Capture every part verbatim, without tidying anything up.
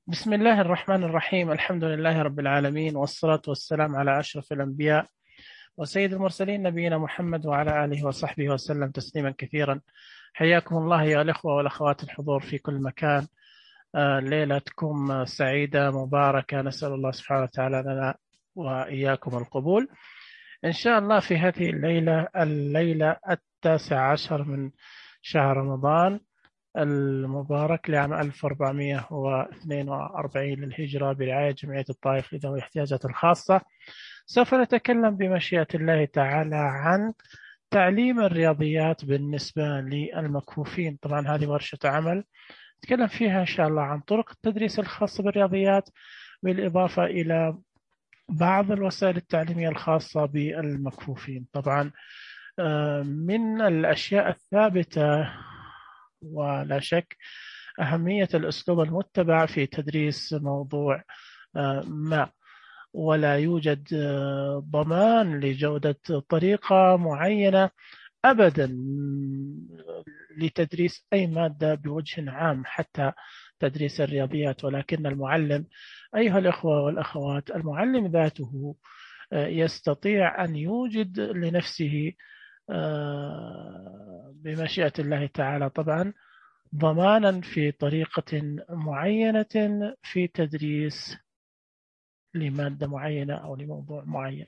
بسم الله الرحمن الرحيم. الحمد لله رب العالمين، والصلاة والسلام على أشرف الأنبياء وسيد المرسلين نبينا محمد وعلى آله وصحبه وسلم تسليما كثيرا. حياكم الله يا الأخوة والأخوات الحضور في كل مكان. آه، ليلتكم سعيدة مباركة، نسأل الله سبحانه وتعالى لنا وإياكم القبول إن شاء الله في هذه الليلة الليلة التاسع عشر من شهر رمضان المبارك لعام ألف وأربعمائة واثنين وأربعين للهجرة برعاية جمعية الطائف لذوي الاحتياجات الخاصة. سوف نتكلم بمشيئة الله تعالى عن تعليم الرياضيات بالنسبة للمكفوفين. طبعا هذه ورشة عمل نتكلم فيها إن شاء الله عن طرق التدريس الخاصة بالرياضيات، بالإضافة إلى بعض الوسائل التعليمية الخاصة بالمكفوفين. طبعا من الأشياء الثابتة ولا شك أهمية الأسلوب المتبع في تدريس موضوع ما، ولا يوجد ضمان لجودة طريقة معينة أبدا لتدريس أي مادة بوجه عام، حتى تدريس الرياضيات. ولكن المعلم أيها الأخوة والأخوات، المعلم ذاته يستطيع أن يوجد لنفسه بمشيئة الله تعالى طبعا ضمانا في طريقة معينة في تدريس لمادة معينة أو لموضوع معين.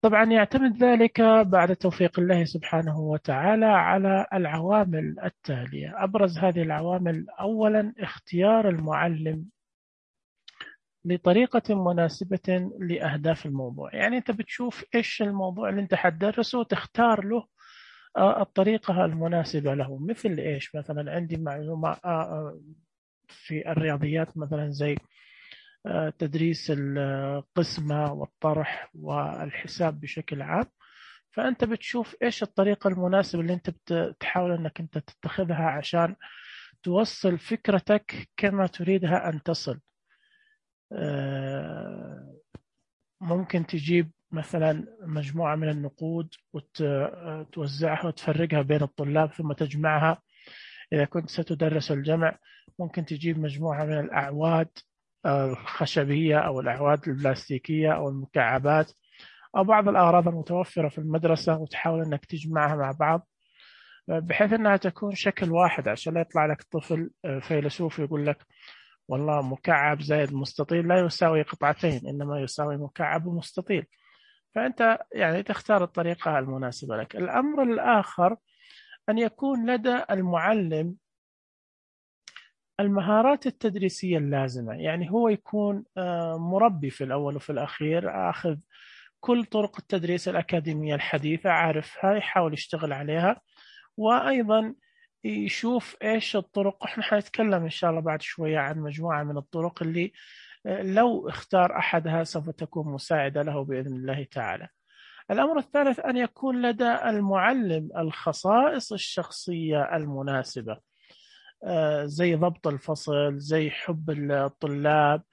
طبعا يعتمد ذلك بعد توفيق الله سبحانه وتعالى على العوامل التالية. أبرز هذه العوامل أولا اختيار المعلم لطريقة مناسبة لأهداف الموضوع. يعني أنت بتشوف إيش الموضوع اللي أنت حتدرسه وتختار له الطريقة المناسبة له. مثل إيش؟ مثلا عندي معلومة في الرياضيات مثلا زي تدريس القسمة والطرح والحساب بشكل عام، فأنت بتشوف إيش الطريقة المناسبة اللي أنت بتحاول أنك أنت تتخذها عشان توصل فكرتك كما تريدها أن تصل. ممكن تجيب مثلا مجموعة من النقود وتوزعها وتفرقها بين الطلاب ثم تجمعها. إذا كنت ستدرس الجمع ممكن تجيب مجموعة من الأعواد الخشبية أو الأعواد البلاستيكية أو المكعبات أو بعض الأغراض المتوفرة في المدرسة وتحاول أنك تجمعها مع بعض بحيث أنها تكون شكل واحد، عشان لا يطلع لك طفل فيلسوف يقول لك والله مكعب زائد مستطيل لا يساوي قطعتين، إنما يساوي مكعب ومستطيل. فأنت يعني تختار الطريقة المناسبة لك. الأمر الآخر أن يكون لدى المعلم المهارات التدريسية اللازمة. يعني هو يكون مربي في الأول وفي الأخير، أخذ كل طرق التدريس الأكاديمية الحديثة، عارفها، يحاول يشتغل عليها، وأيضا يشوف إيش الطرق. إحنا حنتكلم إن شاء الله بعد شوية عن مجموعة من الطرق اللي لو اختار أحدها سوف تكون مساعدة له بإذن الله تعالى. الأمر الثالث أن يكون لدى المعلم الخصائص الشخصية المناسبة، زي ضبط الفصل، زي حب الطلاب.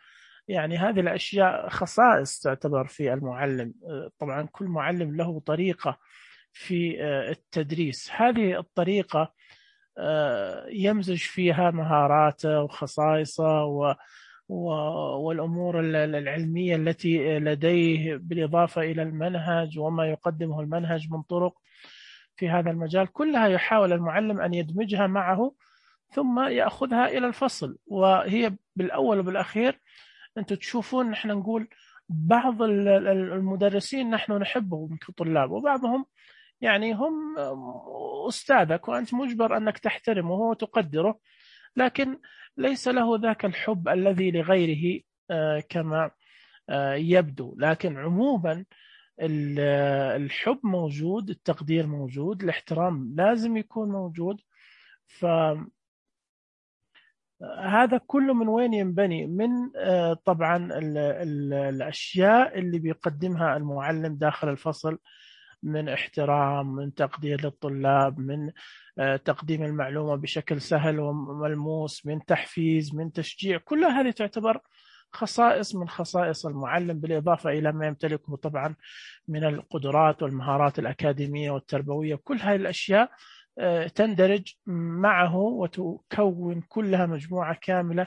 يعني هذه الأشياء خصائص تعتبر في المعلم. طبعا كل معلم له طريقة في التدريس، هذه الطريقة يمزج فيها مهاراته وخصائصه و والأمور العلمية التي لديه، بالإضافة إلى المنهج وما يقدمه المنهج من طرق في هذا المجال، كلها يحاول المعلم أن يدمجها معه ثم يأخذها إلى الفصل. وهي بالأول وبالأخير أنتم تشوفون نحن نقول بعض المدرسين نحن نحبهم كطلاب، وبعضهم يعني هم أستاذك وأنت مجبر أنك تحترمه وتقدره، لكن ليس له ذاك الحب الذي لغيره كما يبدو. لكن عموما الحب موجود، التقدير موجود، الاحترام لازم يكون موجود. فهذا كله من وين ينبني؟ من طبعا الأشياء اللي بيقدمها المعلم داخل الفصل، من احترام، من تقدير للطلاب، من تقديم المعلومة بشكل سهل وملموس، من تحفيز، من تشجيع. كل هذه تعتبر خصائص من خصائص المعلم، بالإضافة إلى ما يمتلكه طبعا من القدرات والمهارات الأكاديمية والتربوية. كل هذه الأشياء تندرج معه وتكون كلها مجموعة كاملة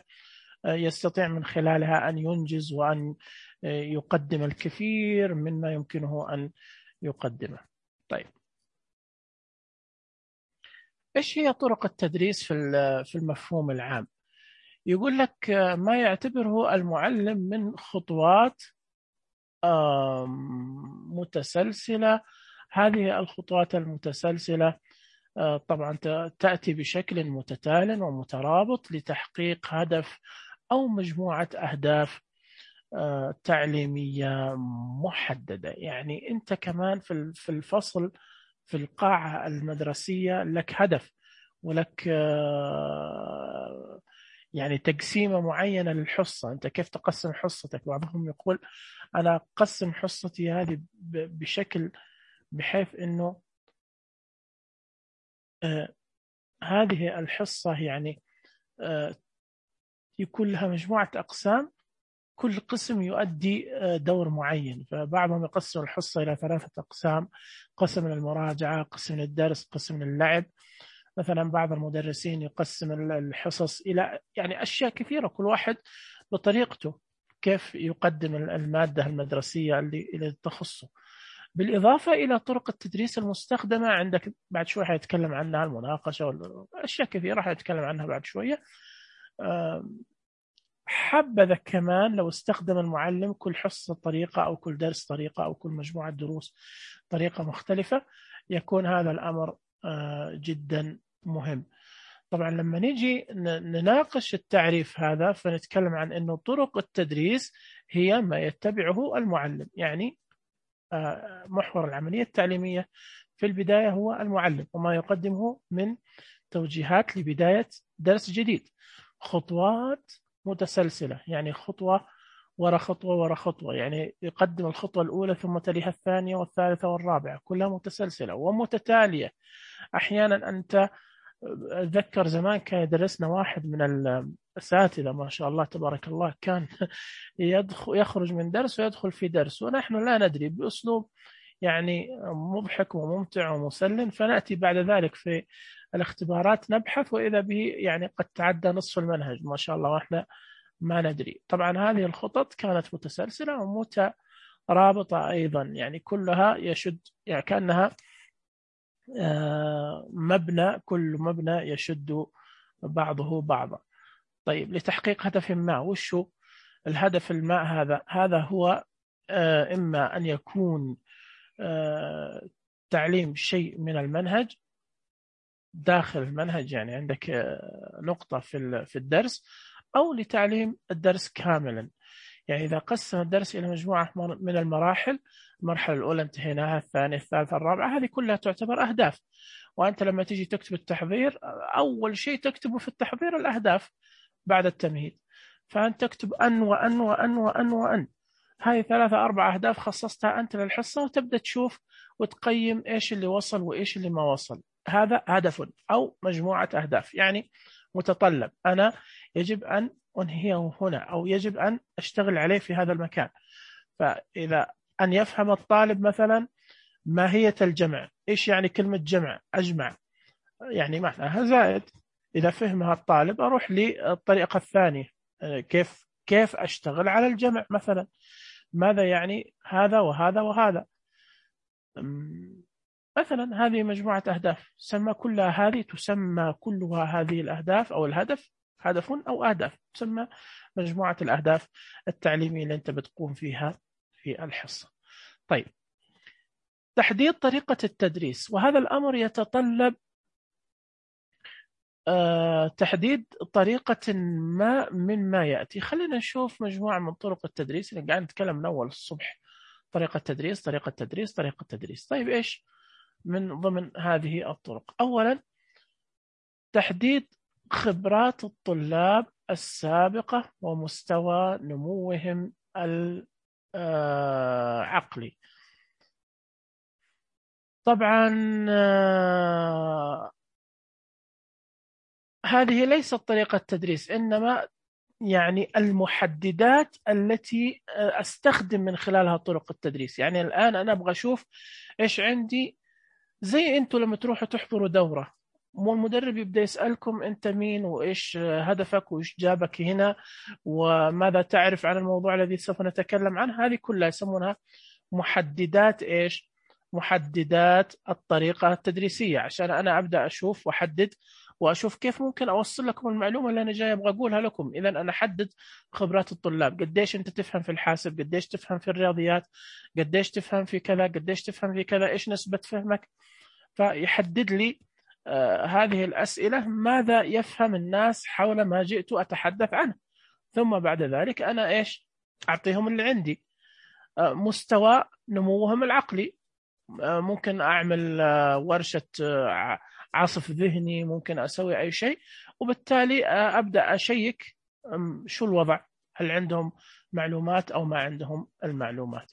يستطيع من خلالها أن ينجز وأن يقدم الكثير مما يمكنه أن يقدمه. طيب، إيش هي طرق التدريس في المفهوم العام؟ يقول لك ما يعتبره المعلم من خطوات متسلسلة. هذه الخطوات المتسلسلة طبعا تأتي بشكل متتال ومترابط لتحقيق هدف أو مجموعة أهداف تعليمية محددة. يعني أنت كمان في الفصل في القاعة المدرسية لك هدف ولك يعني تقسيمة معينة للحصة. أنت كيف تقسم حصتك؟ بعضهم يقول أنا أقسم حصتي هذه بشكل بحيث أنه آه هذه الحصة يعني آه يكون لها مجموعة أقسام، كل قسم يؤدي آه دور معين. فبعضهم يقسم الحصة إلى ثلاثة أقسام: قسم للمراجعة، قسم للدرس، قسم للعب. مثلا بعض المدرسين يقسم الحصص إلى يعني أشياء كثيرة، كل واحد بطريقته كيف يقدم المادة المدرسية اللي, اللي تخصه. بالإضافة إلى طرق التدريس المستخدمة عندك، بعد شوي حيتكلم عنها، المناقشة وأشياء كثيرة حيتكلم عنها بعد شوية. حبذا كمان لو استخدم المعلم كل حصة طريقة أو كل درس طريقة أو كل مجموعة دروس طريقة مختلفة، يكون هذا الأمر جدا مهم. طبعا لما نيجي نناقش التعريف هذا فنتكلم عن أنه طرق التدريس هي ما يتبعه المعلم. يعني محور العملية التعليمية في البداية هو المعلم وما يقدمه من توجيهات لبداية درس جديد. خطوات متسلسلة، يعني خطوة وراء خطوة وراء خطوة، يعني يقدم الخطوة الأولى ثم تليها الثانية والثالثة والرابعة، كلها متسلسلة ومتتالية. أحيانا أنت أتذكر زمان كان يدرسنا واحد من الأساتذة ما شاء الله تبارك الله، كان يدخل يخرج من درس ويدخل في درس ونحن لا ندري، بأسلوب يعني مضحك وممتع ومسلم، فنأتي بعد ذلك في الاختبارات نبحث وإذا به يعني قد تعدى نصف المنهج ما شاء الله وإحنا ما ندري. طبعا هذه الخطط كانت متسلسلة ومترابطة أيضا، يعني كلها يشد، يعني كأنها مبنى، كل مبنى يشد بعضه بعضا. طيب، لتحقيق هدف ما، وش هو الهدف الماء هذا؟ هذا هو إما أن يكون تعليم شيء من المنهج داخل المنهج، يعني عندك نقطة في في الدرس، أو لتعليم الدرس كاملا. يعني إذا قسم الدرس إلى مجموعة من المراحل، المرحلة الأولى انتهيناها، الثانية الثالثة الرابعة، هذه كلها تعتبر أهداف. وأنت لما تيجي تكتب التحضير أول شيء تكتبه في التحضير الأهداف بعد التمهيد، فأنت تكتب أن وأن وأن وأن وأن، هذه ثلاثة أربع أهداف خصصتها أنت للحصة، وتبدأ تشوف وتقيم إيش اللي وصل وإيش اللي ما وصل. هذا هدف أو مجموعة أهداف، يعني متطلب أنا يجب أن أنهيه هنا أو يجب أن أشتغل عليه في هذا المكان. فإذا أن يفهم الطالب مثلا ماهية الجمع، إيش يعني كلمة جمع؟ أجمع، يعني معناها زائد. إذا فهمها الطالب أروح للطريقة الثانية، كيف كيف أشتغل على الجمع مثلا، ماذا يعني هذا وهذا وهذا مثلا. هذه مجموعة أهداف تسمى كلها، هذه تسمى كلها هذه الأهداف أو الهدف هدف أو أهداف، تسمى مجموعة الأهداف التعليمية اللي أنت بتقوم فيها في الحصة. طيب، تحديد طريقة التدريس، وهذا الأمر يتطلب أه تحديد طريقة ما من ما يأتي. خلينا نشوف مجموعة من طرق التدريس اللي قاعد نتكلم من أول الصبح: طريقة تدريس، طريقة تدريس، طريقة تدريس. طيب، إيش من ضمن هذه الطرق؟ أولا، تحديد خبرات الطلاب السابقة ومستوى نموهم العقلي. طبعا هذه ليست طريقة تدريس، إنما يعني المحددات التي أستخدم من خلالها طرق التدريس. يعني الآن أنا أبغى أشوف إيش عندي زي أنتوا لما تروحوا تحضروا دورة، مو المدرب يبدأ يسألكم أنت مين وإيش هدفك وإيش جابك هنا وماذا تعرف عن الموضوع الذي سوف نتكلم عنه. هذه كلها يسمونها محددات إيش؟ محددات الطريقة التدريسية، عشان أنا أبدأ أشوف وأحدد وأشوف كيف ممكن أوصل لكم المعلومة اللي أنا جاي أبغى أقولها لكم. إذا أنا أحدد خبرات الطلاب، قديش أنت تفهم في الحاسب، قديش تفهم في الرياضيات، قديش تفهم في كذا، قديش تفهم في كذا، إيش نسبة فهمك. فيحدد لي آه هذه الأسئلة ماذا يفهم الناس حول ما جئت أتحدث عنه. ثم بعد ذلك أنا إيش أعطيهم اللي عندي. آه مستوى نموهم العقلي، آه ممكن أعمل آه ورشة آه عصف ذهني، ممكن أسوي أي شيء، وبالتالي آه أبدأ أشيك شو الوضع، هل عندهم معلومات أو ما عندهم المعلومات.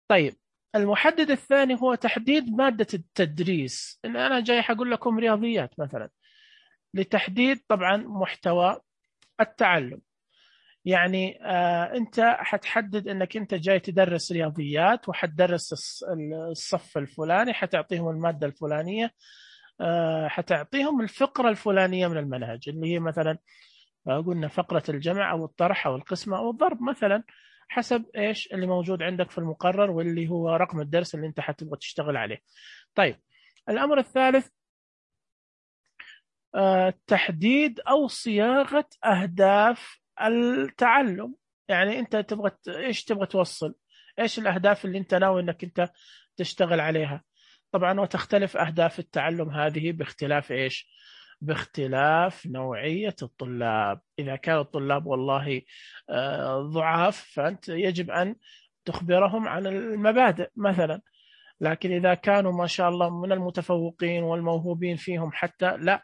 طيب المحدد الثاني هو تحديد مادة التدريس. إن أنا جاي حقول لكم رياضيات مثلا، لتحديد طبعا محتوى التعلم. يعني آه أنت حتحدد أنك أنت جاي تدرس رياضيات وحتدرس الصف الفلاني، حتعطيهم المادة الفلانية، آه حتعطيهم الفقرة الفلانية من المنهج اللي هي مثلا قلنا فقرة الجمع أو الطرح أو القسمة أو الضرب مثلا، حسب إيش اللي موجود عندك في المقرر واللي هو رقم الدرس اللي أنت حتبغى تشتغل عليه. طيب الأمر الثالث آه تحديد أو صياغة أهداف التعلم. يعني أنت تبغى إيش تبغى توصل، إيش الأهداف اللي أنت ناوي أنك أنت تشتغل عليها. طبعا وتختلف أهداف التعلم هذه باختلاف إيش، باختلاف نوعية الطلاب. إذا كان الطلاب والله ضعاف فأنت يجب أن تخبرهم عن المبادئ مثلا، لكن إذا كانوا ما شاء الله من المتفوقين والموهوبين فيهم حتى لا،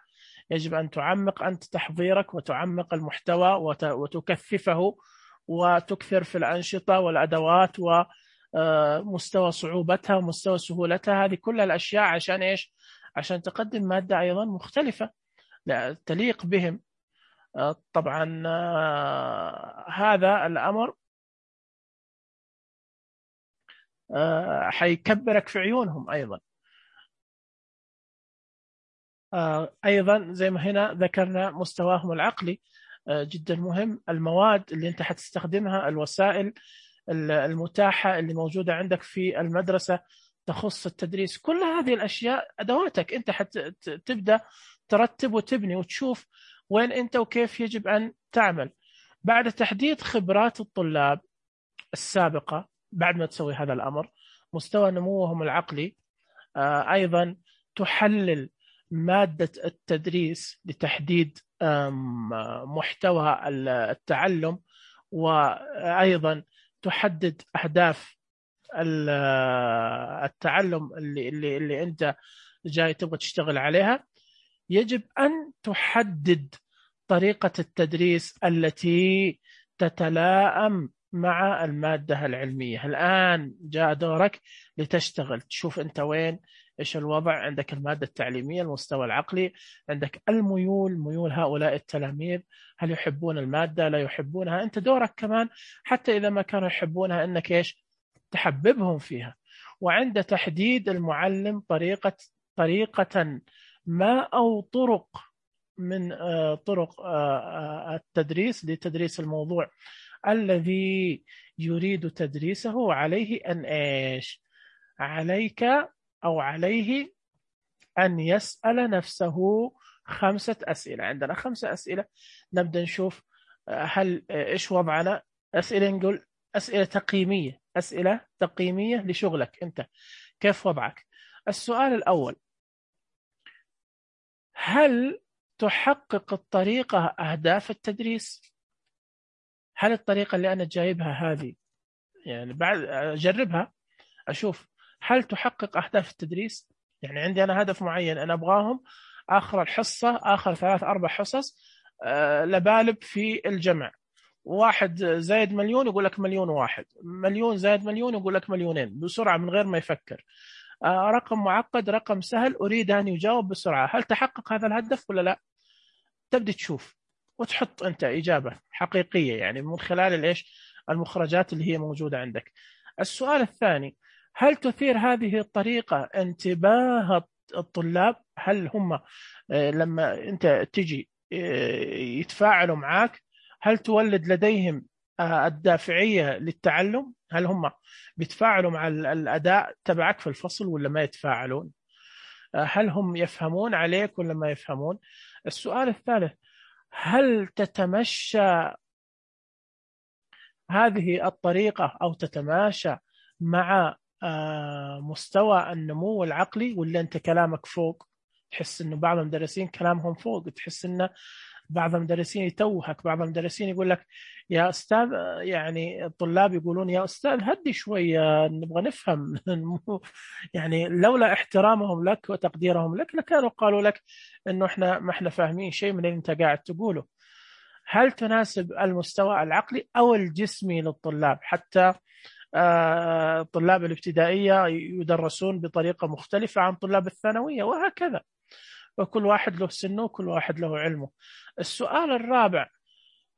يجب أن تعمق أنت تحضيرك وتعمق المحتوى وتكثفه وتكثر في الأنشطة والأدوات ومستوى صعوبتها ومستوى سهولتها. هذه كل الأشياء عشان إيش؟ عشان تقدم مادة أيضا مختلفة لا تليق بهم. طبعا هذا الأمر حيكبرك في عيونهم أيضا. أيضا زي ما هنا ذكرنا مستواهم العقلي جدا مهم، المواد اللي أنت حتستخدمها، الوسائل المتاحة اللي موجودة عندك في المدرسة تخص التدريس، كل هذه الأشياء أدواتك. أنت حتبدأ ترتب وتبني وتشوف وين أنت وكيف يجب أن تعمل. بعد تحديد خبرات الطلاب السابقة، بعد ما تسوي هذا الأمر، مستوى نموهم العقلي، أيضا تحلل مادة التدريس لتحديد محتوى التعلم، وأيضا تحدد أهداف التعلم اللي, اللي, اللي أنت جاي تبغى تشتغل عليها. يجب أن تحدد طريقة التدريس التي تتلائم مع المادة العلمية. الآن جاء دورك لتشتغل، تشوف أنت وين، إيش الوضع عندك، المادة التعليمية، المستوى العقلي، عندك الميول، ميول هؤلاء التلاميذ، هل يحبون المادة لا يحبونها. أنت دورك كمان حتى إذا ما كانوا يحبونها أنك إيش تحببهم فيها. وعند تحديد المعلم طريقة طريقة ما أو طرق من طرق التدريس لتدريس الموضوع الذي يريد تدريسه، عليه أن إيش عليك أو عليه أن يسأل نفسه خمسة أسئلة. عندنا خمسة أسئلة، نبدأ نشوف هل إيش وضعنا. أسئلة نقول أسئلة تقييمية، أسئلة تقييمية لشغلك أنت، كيف وضعك. السؤال الأول، هل تحقق الطريقة أهداف التدريس؟ هل الطريقة اللي أنا جايبها هذه يعني بعد أجربها أشوف هل تحقق أهداف التدريس؟ يعني عندي أنا هدف معين، أنا أبغاهم آخر الحصة، آخر ثلاث أربع حصص أه لبالب في الجمع، واحد زائد مليون يقول لك مليون واحد، مليون زائد مليون يقول لك مليونين بسرعة من غير ما يفكر. أه رقم معقد، رقم سهل، أريد أن يجاوب بسرعة. هل تحقق هذا الهدف ولا لا؟ تبدأ تشوف وتحط أنت إجابة حقيقية يعني من خلال الإيش المخرجات اللي هي موجودة عندك. السؤال الثاني، هل تثير هذه الطريقة انتباه الطلاب؟ هل هم لما أنت تجي يتفاعلوا معك هل تولد لديهم الدافعية للتعلم؟ هل هم بيتفاعلوا مع الأداء تبعك في الفصل ولا ما يتفاعلون؟ هل هم يفهمون عليك ولا ما يفهمون؟ السؤال الثالث، هل تتمشى هذه الطريقة أو تتماشى مع مستوى النمو العقلي، ولا أنت كلامك فوق؟ تحس إنه بعض المدرسين كلامهم فوق، تحس إنه بعض المدرسين يتوهك، بعض المدرسين يقول لك يا أستاذ، يعني الطلاب يقولون يا أستاذ هدي شوية نبغى نفهم. يعني لولا احترامهم لك وتقديرهم لك لكانوا قالوا لك إنه إحنا ما إحنا فاهمين شيء من اللي أنت قاعد تقوله. هل تناسب المستوى العقلي أو الجسمي للطلاب؟ حتى طلاب الابتدائية يدرسون بطريقة مختلفة عن طلاب الثانوية وهكذا، وكل واحد له سنه وكل واحد له علمه. السؤال الرابع،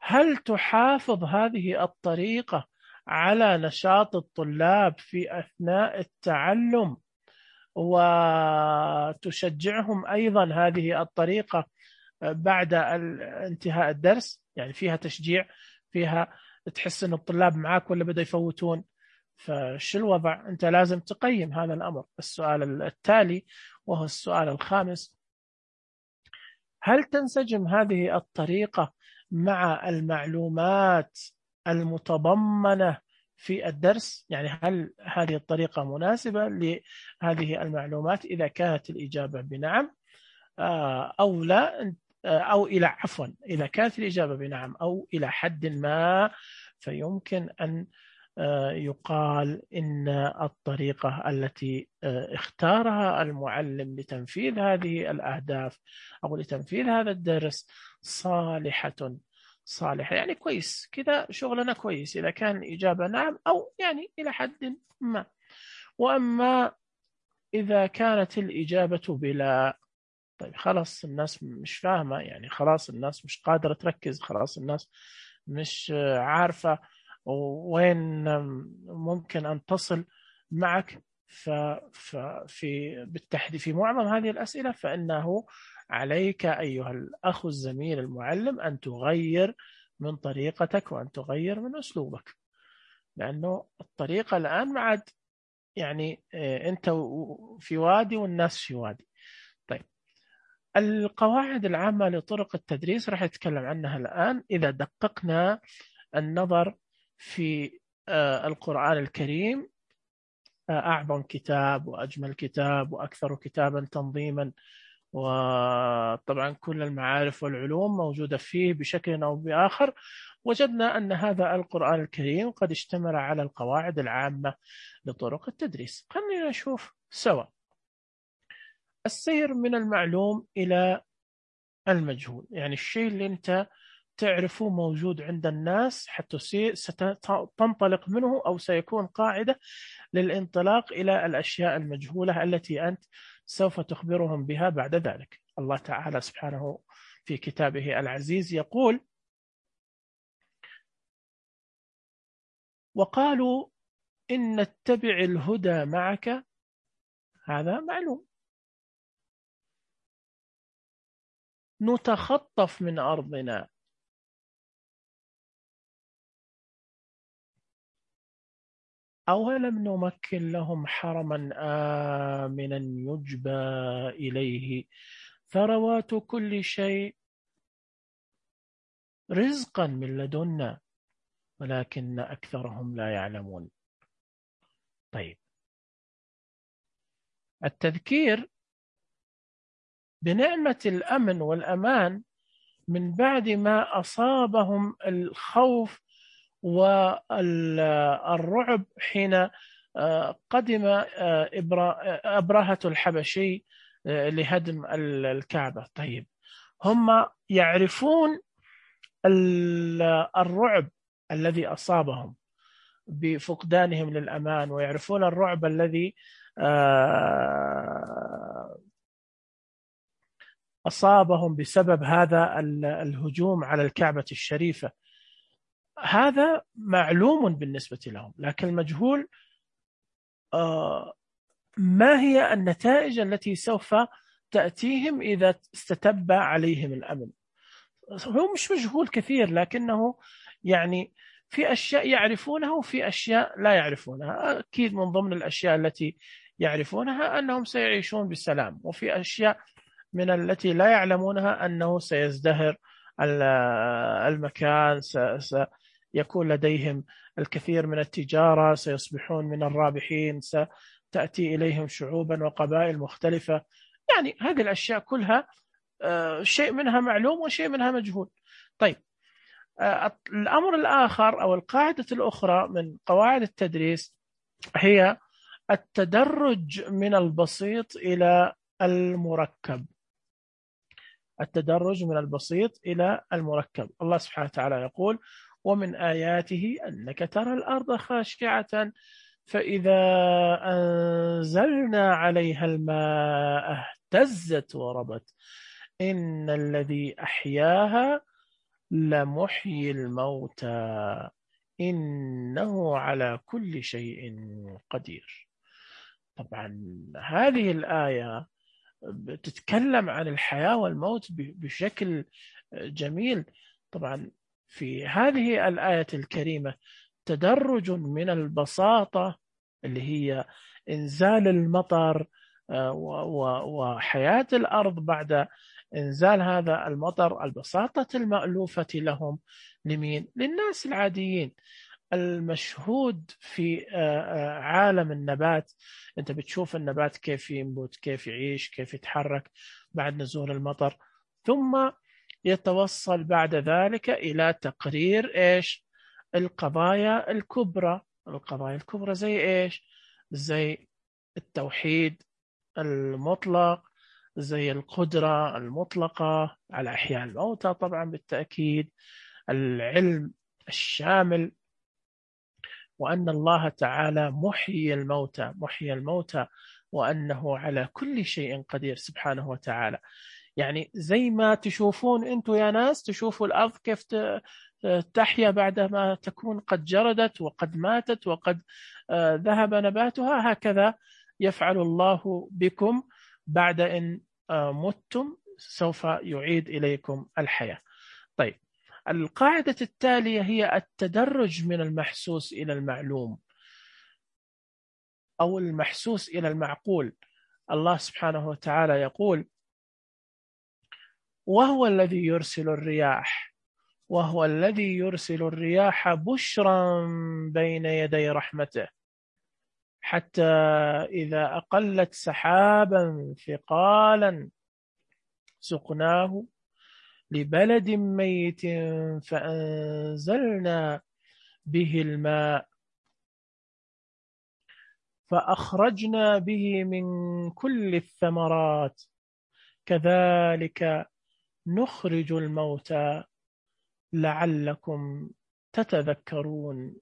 هل تحافظ هذه الطريقة على نشاط الطلاب في أثناء التعلم وتشجعهم أيضا هذه الطريقة بعد انتهاء الدرس؟ يعني فيها تشجيع، فيها تحس أن الطلاب معاك ولا بدأ يفوتون؟ فشو الوضع؟ أنت لازم تقيم هذا الأمر. السؤال التالي وهو السؤال الخامس، هل تنسجم هذه الطريقة مع المعلومات المتضمنة في الدرس؟ يعني هل هذه الطريقة مناسبة لهذه المعلومات؟ إذا كانت الإجابة بنعم أو لا، أو إلى عفوا إذا كانت الإجابة بنعم أو إلى حد ما، فيمكن أن يقال إن الطريقة التي اختارها المعلم لتنفيذ هذه الأهداف أو لتنفيذ هذا الدرس صالحة صالحة يعني كويس كذا، شغلنا كويس إذا كان الإجابة نعم أو يعني إلى حد ما. وأما إذا كانت الإجابة بلا، طيب خلاص الناس مش فاهمة، يعني خلاص الناس مش قادرة تركز، خلاص الناس مش عارفة وين ممكن أن تصل معك. ففي بالتحديد في معظم هذه الأسئلة فإنه عليك أيها الأخ الزميل المعلم أن تغير من طريقتك وأن تغير من أسلوبك، لأنه الطريقة الآن معد يعني أنت في وادي والناس في وادي. طيب القواعد العامة لطرق التدريس راح نتكلم عنها الآن. إذا دققنا النظر في القرآن الكريم، أعظم كتاب وأجمل كتاب وأكثر كتابا تنظيما، وطبعا كل المعارف والعلوم موجودة فيه بشكل أو بآخر، وجدنا أن هذا القرآن الكريم قد اشتمل على القواعد العامة لطرق التدريس. خلينا نشوف سوا السير من المعلوم إلى المجهول، يعني الشيء اللي أنت تعرفه موجود عند الناس حتى ستنطلق منه أو سيكون قاعدة للانطلاق إلى الأشياء المجهولة التي أنت سوف تخبرهم بها بعد ذلك. الله تعالى سبحانه في كتابه العزيز يقول: وقالوا إن نتبع الهدى معك، هذا معلوم، نتخطف من أرضنا أولم نمكن لهم حرما آمنا يجبى إليه ثروات كل شيء رزقا من لدنا ولكن أكثرهم لا يعلمون. طيب التذكير بنعمة الأمن والأمان من بعد ما أصابهم الخوف والرعب حين قدم أبرهة الحبشي لهدم الكعبة. طيب هم يعرفون الرعب الذي أصابهم بفقدانهم للأمان، ويعرفون الرعب الذي أصابهم بسبب هذا الهجوم على الكعبة الشريفة. هذا معلوم بالنسبة لهم، لكن المجهول ما هي النتائج التي سوف تأتيهم إذا استتب عليهم الأمن. هو مش مجهول كثير، لكنه يعني في أشياء يعرفونها وفي أشياء لا يعرفونها. أكيد من ضمن الأشياء التي يعرفونها أنهم سيعيشون بسلام، وفي أشياء من التي لا يعلمونها أنه سيزدهر المكان، سيكون لديهم الكثير من التجارة، سيصبحون من الرابحين، ستأتي إليهم شعوبا وقبائل مختلفة. يعني هذه الأشياء كلها شيء منها معلوم وشيء منها مجهول. طيب، الأمر الآخر أو القاعدة الأخرى من قواعد التدريس هي التدرج من البسيط إلى المركب. التدرج من البسيط إلى المركب. الله سبحانه وتعالى يقول: ومن آياته أنك ترى الأرض خاشعة فإذا أنزلنا عليها الماء اهتزت وربت إن الذي أحياها لمحيي الموتى إنه على كل شيء قدير. طبعا هذه الآية بتتكلم عن الحياة والموت بشكل جميل. طبعا في هذه الآية الكريمة تدرج من البساطة اللي هي إنزال المطر وحياة الأرض بعد إنزال هذا المطر، البساطة المألوفة لهم. لمين؟ للناس العاديين. المشهود في عالم النبات، أنت بتشوف النبات كيف ينبت، كيف يعيش، كيف يتحرك بعد نزول المطر، ثم يتوصل بعد ذلك إلى تقرير إيش؟ القضايا الكبرى. القضايا الكبرى زي إيش؟ زي التوحيد المطلق، زي القدرة المطلقة على إحياء الموتى، طبعا بالتأكيد العلم الشامل، وأن الله تعالى محيي الموتى محيي الموتى وأنه على كل شيء قدير سبحانه وتعالى. يعني زي ما تشوفون أنتم يا ناس، تشوفوا الأرض كيف تحيا بعدما تكون قد جردت وقد ماتت وقد ذهب نباتها، هكذا يفعل الله بكم بعد إن متم، سوف يعيد إليكم الحياة. طيب، القاعدة التالية هي التدرج من المحسوس إلى المعلوم أو المحسوس إلى المعقول. الله سبحانه وتعالى يقول: وهو الذي يرسل الرياح وهو الذي يرسل الرياح بشرا بين يدي رحمته حتى إذا أقلت سحابا ثقالا سقناه لبلد ميت فأنزلنا به الماء فأخرجنا به من كل الثمرات كذلك نخرج الموتى لعلكم تتذكرون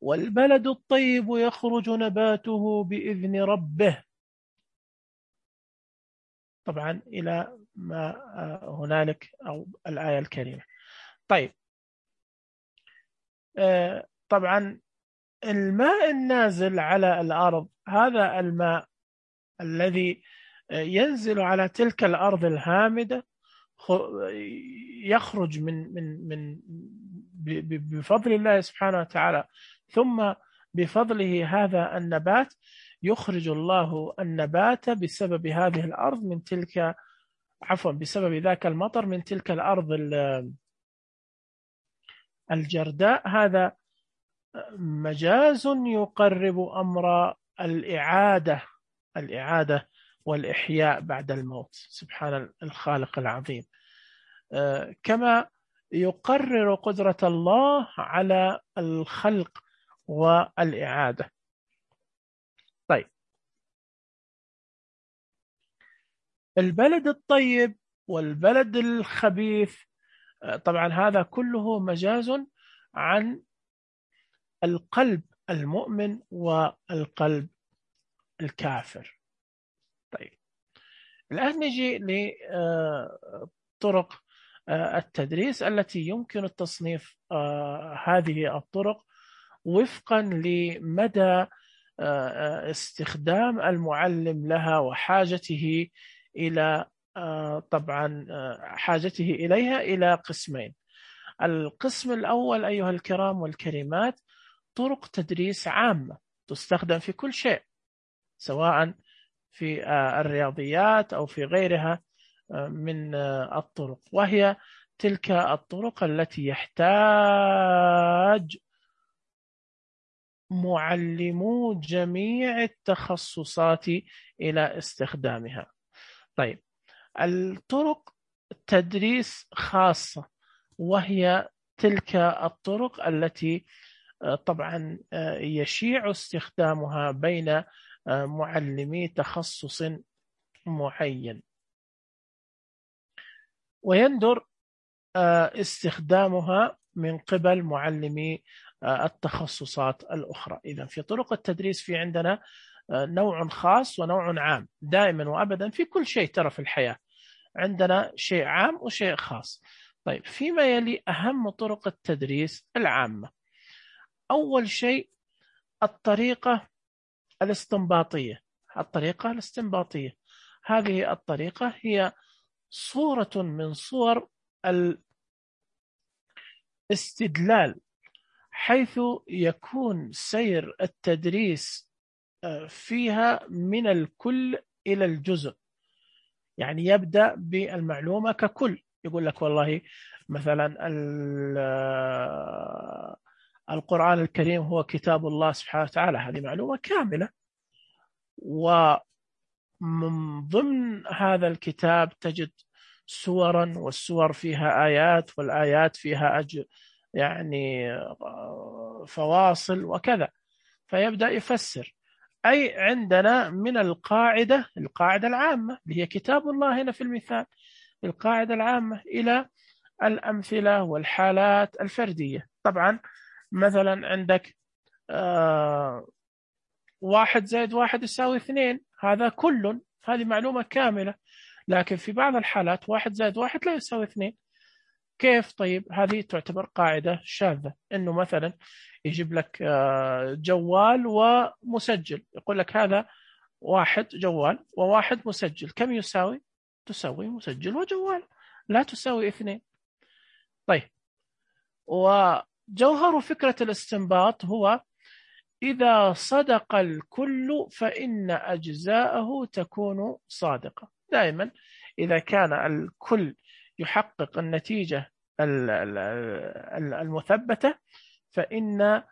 والبلد الطيب يخرج نباته بإذن ربه. طبعا إلى ما هنالك أو الآية الكريمة. طيب، طبعا الماء النازل على الأرض، هذا الماء الذي ينزل على تلك الأرض الهامدة يخرج من من من بفضل الله سبحانه وتعالى، ثم بفضله هذا النبات يخرج الله النبات بسبب هذه الأرض من تلك عفوا بسبب ذاك المطر من تلك الأرض الجرداء. هذا مجاز يقرب أمر الإعادة الإعادة والإحياء بعد الموت. سبحان الخالق العظيم. كما يقرر قدرة الله على الخلق والإعادة. طيب، البلد الطيب والبلد الخبيث، طبعا هذا كله مجاز عن القلب المؤمن والقلب الكافر. طيب، الآن نجي لطرق التدريس التي يمكن التصنيف هذه الطرق وفقا لمدى استخدام المعلم لها وحاجته إلى طبعا حاجته إليها إلى قسمين. القسم الأول أيها الكرام والكريمات طرق تدريس عامة تستخدم في كل شيء، سواء في الرياضيات أو في غيرها من الطرق، وهي تلك الطرق التي يحتاج معلمو جميع التخصصات إلى استخدامها. طيب، الطرق تدريس خاصة، وهي تلك الطرق التي طبعا يشيع استخدامها بين معلمي تخصص معين، ويندر استخدامها من قبل معلمي التخصصات الأخرى. إذن في طرق التدريس في عندنا نوع خاص ونوع عام، دائما وأبدا في كل شيء ترى في الحياة عندنا شيء عام وشيء خاص. طيب، فيما يلي أهم طرق التدريس العامة، أول شيء الطريقة الاستنباطية. الطريقة الاستنباطية هذه الطريقة هي صورة من صور الاستدلال، حيث يكون سير التدريس فيها من الكل إلى الجزء. يعني يبدأ بالمعلومة ككل، يقول لك والله مثلا القرآن الكريم هو كتاب الله سبحانه وتعالى، هذه معلومة كاملة، ومن ضمن هذا الكتاب تجد سورا، والسور فيها آيات، والآيات فيها أج يعني فواصل وكذا، فيبدأ يفسر. أي عندنا من القاعدة القاعدة العامة اللي هي كتاب الله هنا في المثال، القاعدة العامة إلى الأمثلة والحالات الفردية. طبعا مثلا عندك آه واحد زائد واحد يساوي اثنين، هذا كل هذه معلومة كاملة، لكن في بعض الحالات واحد زائد واحد لا يساوي اثنين. كيف؟ طيب، هذه تعتبر قاعدة شاذة، إنه مثلا يجيب لك جوال ومسجل، يقول لك هذا واحد جوال وواحد مسجل، كم يساوي؟ تساوي مسجل وجوال، لا تساوي اثنين. طيب، وجوهر فكرة الاستنباط هو إذا صدق الكل فإن أجزاءه تكون صادقة. دائما إذا كان الكل يحقق النتيجة المثبتة، فإن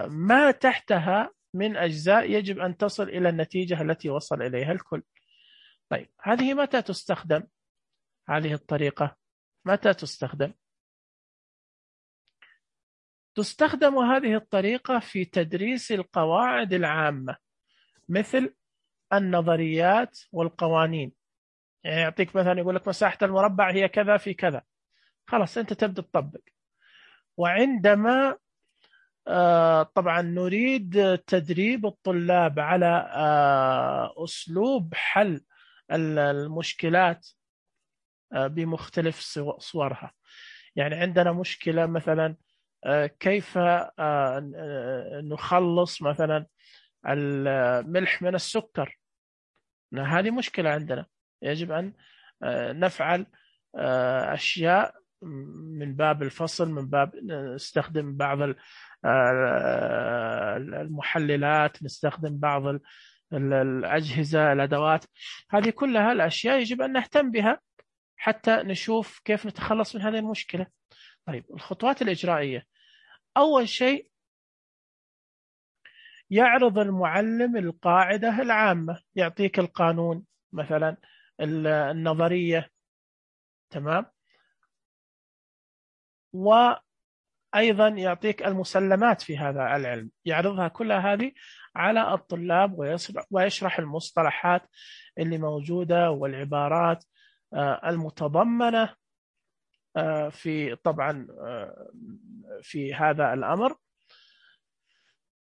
ما تحتها من أجزاء يجب أن تصل إلى النتيجة التي وصل إليها الكل. طيب، هذه متى تستخدم؟ هذه الطريقة متى تستخدم؟ تستخدم هذه الطريقة في تدريس القواعد العامة، مثل النظريات والقوانين. يعني يعطيك مثلا يقول لك مساحة المربع هي كذا في كذا، خلاص أنت تبدأ تطبق. وعندما آه طبعا نريد تدريب الطلاب على آه أسلوب حل المشكلات آه بمختلف صورها. يعني عندنا مشكلة مثلا آه كيف آه نخلص مثلا الملح من السكر، هذه مشكلة عندنا، يجب أن نفعل أشياء من باب الفصل، من باب نستخدم بعض المحللات، نستخدم بعض الأجهزة، الأدوات، هذه كلها الأشياء يجب أن نهتم بها حتى نشوف كيف نتخلص من هذه المشكلة. طيب، الخطوات الإجرائية، أول شيء يعرض المعلم القاعدة العامة، يعطيك القانون مثلا، النظرية، تمام، وأيضا يعطيك المسلمات في هذا العلم، يعرضها كلها هذه على الطلاب، ويشرح المصطلحات اللي موجودة والعبارات المتضمنة في طبعا في هذا الأمر،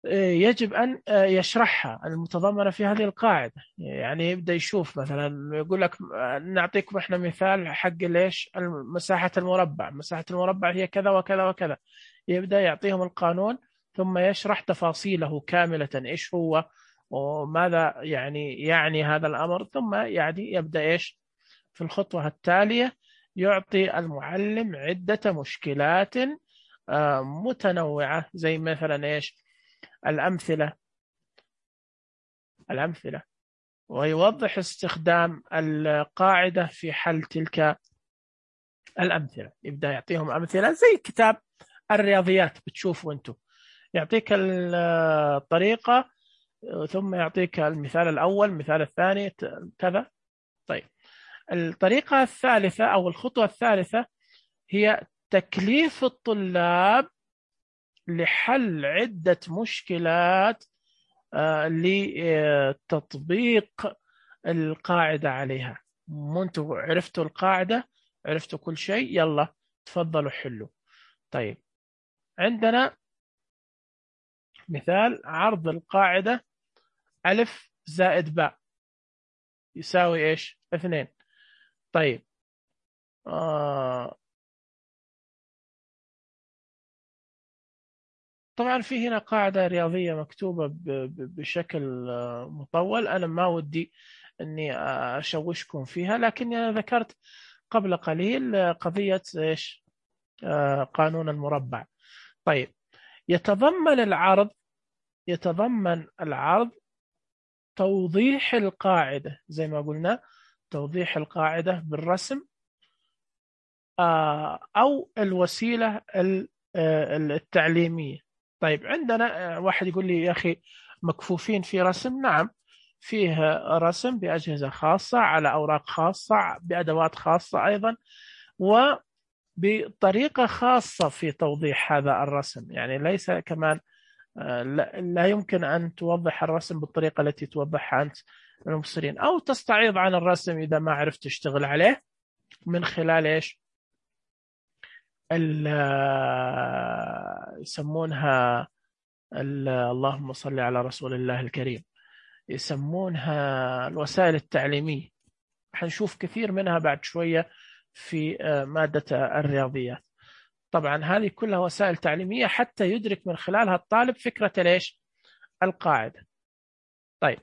يجب أن يشرحها المتضمنة في هذه القاعدة. يعني يبدأ يشوف مثلا، يقول لك نعطيكم إحنا مثال حق ليش مساحة المربع، مساحة المربع هي كذا وكذا وكذا، يبدأ يعطيهم القانون ثم يشرح تفاصيله كاملة إيش هو وماذا يعني يعني هذا الأمر، ثم يعني يبدأ إيش في الخطوة التالية يعطي المعلم عدة مشكلات آه، متنوعة، زي مثلا إيش الأمثلة الأمثلة ويوضح استخدام القاعدة في حل تلك الأمثلة. يبدأ يعطيهم أمثلة زي كتاب الرياضيات، بتشوفوا أنتم يعطيك الطريقة ثم يعطيك المثال الأول، المثال الثاني كذا. طيب الطريقة الثالثة أو الخطوة الثالثة هي تكليف الطلاب لحل عدة مشكلات لتطبيق القاعدة عليها. انتوا عرفتوا القاعدة، عرفتوا كل شيء، يلا تفضلوا حلوا. طيب عندنا مثال عرض القاعدة ألف زائد باء يساوي إيش؟ اثنين. طيب آه طبعا في هنا قاعدة رياضية مكتوبة بشكل مطول، أنا ما ودي أني أشوشكم فيها، لكني أنا ذكرت قبل قليل قضية إيش؟ آه قانون المربع. طيب يتضمن العرض يتضمن العرض توضيح القاعدة، زي ما قلنا توضيح القاعدة بالرسم آه أو الوسيلة التعليمية. طيب عندنا واحد يقول لي يا أخي مكفوفين في رسم. نعم، فيه رسم بأجهزة خاصة على أوراق خاصة بأدوات خاصة أيضا، وبطريقة خاصة في توضيح هذا الرسم. يعني ليس كمان لا يمكن أن توضح الرسم بالطريقة التي توضحها أنت للمبصرين، أو تستعيض عن الرسم إذا ما عرفت تشتغل عليه من خلال إيش يسمونها اللهم صل على رسول الله الكريم، يسمونها الوسائل التعليمية. حنشوف كثير منها بعد شوية في مادة الرياضيات. طبعا هذه كلها وسائل تعليمية حتى يدرك من خلالها الطالب فكرة ليش القاعدة. طيب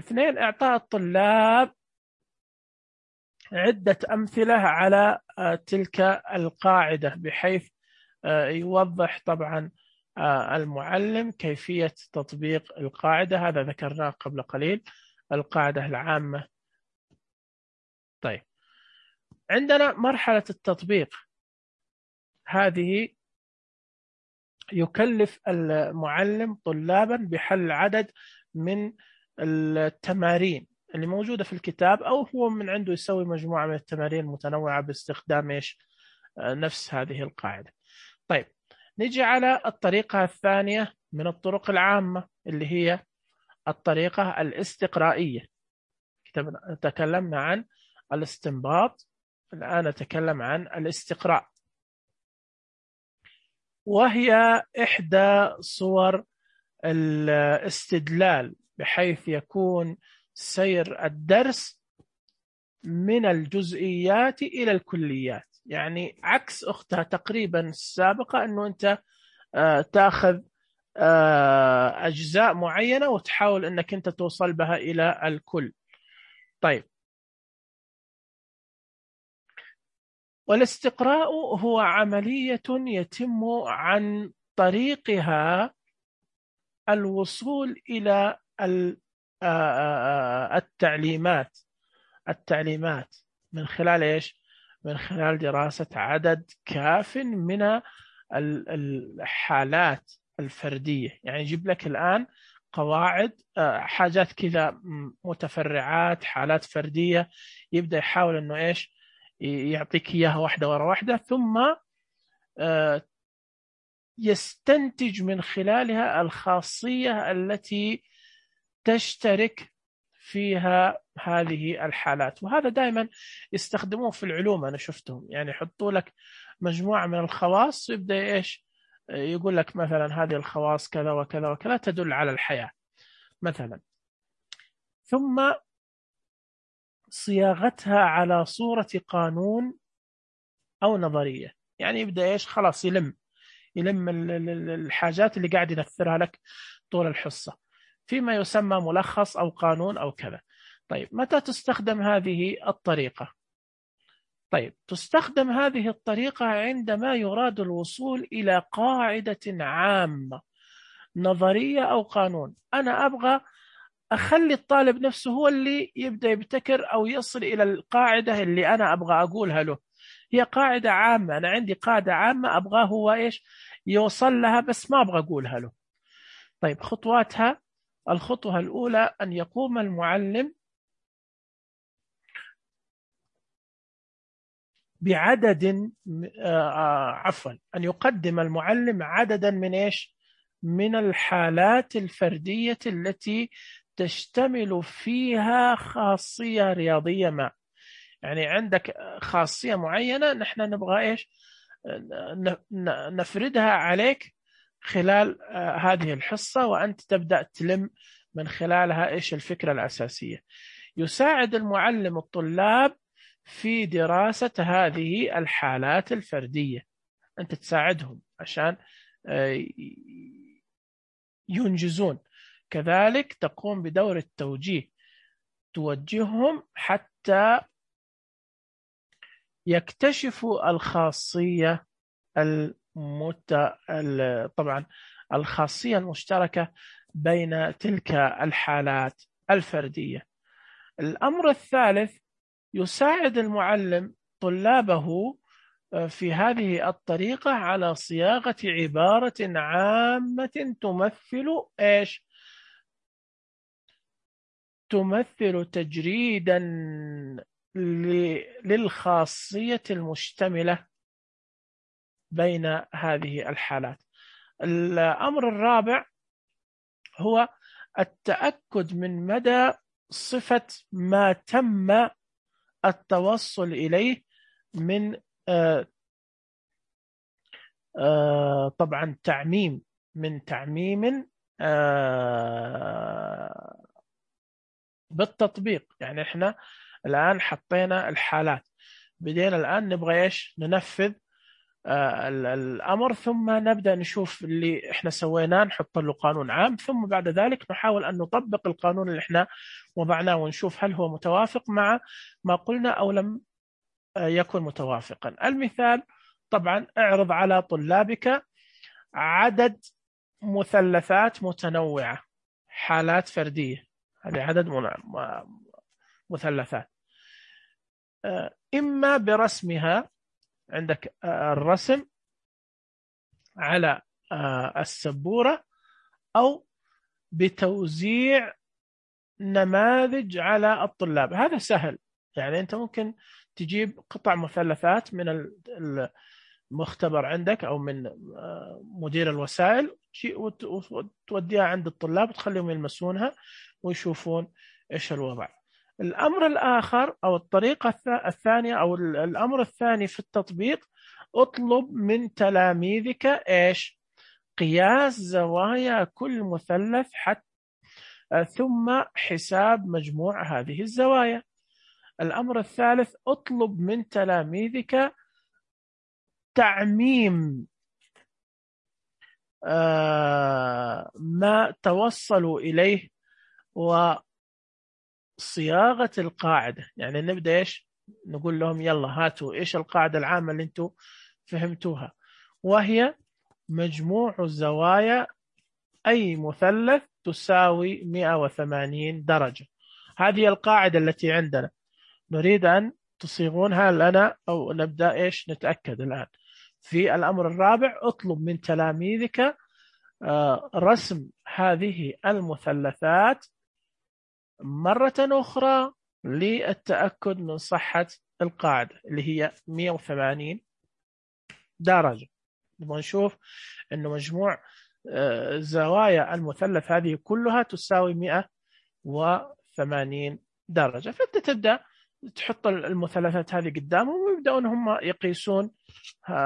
اثنين، إعطاء الطلاب عدة أمثلة على تلك القاعدة بحيث يوضح طبعا المعلم كيفية تطبيق القاعدة. هذا ذكرناه قبل قليل، القاعدة العامة. طيب عندنا مرحلة التطبيق، هذه يكلف المعلم طلابا بحل عدد من التمارين اللي موجودة في الكتاب، أو هو من عنده يسوي مجموعة من التمارين المتنوعة باستخدام إيش نفس هذه القاعدة. طيب نجي على الطريقة الثانية من الطرق العامة اللي هي الطريقة الاستقرائية. تكلمنا عن الاستنباط، الآن نتكلم عن الاستقراء، وهي إحدى صور الاستدلال، بحيث يكون سير الدرس من الجزئيات إلى الكليات. يعني عكس أختها تقريبا السابقة، أنه أنت تأخذ أجزاء معينة وتحاول أنك أنت توصل بها إلى الكل. طيب والاستقراء هو عملية يتم عن طريقها الوصول إلى التعليمات التعليمات من خلال إيش؟ من خلال دراسة عدد كاف من الحالات الفردية. يعني يجيب لك الآن قواعد، حاجات كذا متفرعات، حالات فردية، يبدأ يحاول أنه إيش يعطيك إياها واحدة ورا واحدة، ثم يستنتج من خلالها الخاصية التي تشترك فيها هذه الحالات. وهذا دائما يستخدموه في العلوم، أنا شفتهم يعني يحطوا لك مجموعة من الخواص ويبدأ إيش يقول لك مثلا هذه الخواص كذا وكذا وكذا تدل على الحياة مثلا، ثم صياغتها على صورة قانون أو نظرية. يعني يبدأ إيش خلاص يلم يلم الحاجات اللي قاعد ينثرها لك طول الحصة فيما يسمى ملخص أو قانون أو كذا. طيب متى تستخدم هذه الطريقة؟ طيب تستخدم هذه الطريقة عندما يراد الوصول إلى قاعدة عامة نظرية أو قانون. أنا أبغى أخلي الطالب نفسه هو اللي يبدأ يبتكر أو يصل إلى القاعدة اللي أنا أبغى أقولها له. هي قاعدة عامة، أنا عندي قاعدة عامة أبغاه هو إيش يوصل لها، بس ما أبغى أقولها له. طيب خطواتها: الخطوة الأولى أن يقوم المعلم بعدد آه عفوا أن يقدم المعلم عددا من إيش من الحالات الفردية التي تشتمل فيها خاصية رياضية ما. يعني عندك خاصية معينة نحن نبغى إيش نفردها عليك خلال هذه الحصة، وأنت تبدأ تلم من خلالها إيش الفكرة الأساسية. يساعد المعلم الطلاب في دراسة هذه الحالات الفردية، أنت تساعدهم عشان ينجزون. كذلك تقوم بدور التوجيه، توجههم حتى يكتشفوا الخاصية المت... طبعا الخاصية المشتركة بين تلك الحالات الفردية. الأمر الثالث: يساعد المعلم طلابه في هذه الطريقة على صياغة عبارة عامة تمثل إيش؟ تمثل تجريدا للخاصية المشتملة بين هذه الحالات. الأمر الرابع هو التأكد من مدى صفة ما تم التوصل إليه من آه آه طبعا تعميم من تعميم آه بالتطبيق. يعني احنا الآن حطينا الحالات، بدينا الآن نبغى ايش ننفذ آه الأمر، ثم نبدأ نشوف اللي احنا سويناه نحط له قانون عام، ثم بعد ذلك نحاول أن نطبق القانون اللي احنا وضعناه ونشوف هل هو متوافق مع ما قلنا أو لم يكن متوافقا. المثال: طبعا اعرض على طلابك عدد مثلثات متنوعة، حالات فردية، هذه عدد مثلثات، إما برسمها، عندك الرسم على السبورة، أو بتوزيع نماذج على الطلاب. هذا سهل، يعني أنت ممكن تجيب قطع مثلثات من المختبر عندك أو من مدير الوسائل وتوديها عند الطلاب وتخليهم يلمسونها ويشوفون إيش الوضع. الأمر الآخر أو الطريقة الثانية أو الأمر الثاني في التطبيق: اطلب من تلاميذك إيش قياس زوايا كل مثلث حتى ثم حساب مجموع هذه الزوايا. الأمر الثالث: اطلب من تلاميذك تعميم آه ما توصلوا إليه وصياغة القاعدة. يعني نبدأ إيش نقول لهم يلا هاتوا إيش القاعدة العامة اللي أنتوا فهمتوها، وهي مجموع الزوايا أي مثلث تساوي مئة وثمانين درجة. هذه القاعدة التي عندنا، نريد أن تصيغونها لنا أو نبدأ إيش نتأكد الآن. في الأمر الرابع: اطلب من تلاميذك رسم هذه المثلثات مرة أخرى للتأكد من صحة القاعدة اللي هي مئة وثمانين درجة. نبغى نشوف أنه مجموع زوايا المثلث هذه كلها تساوي مئة وثمانين درجة. فأنت تبدأ تحط المثلثات هذه قدامهم ويبدأون هم يقيسون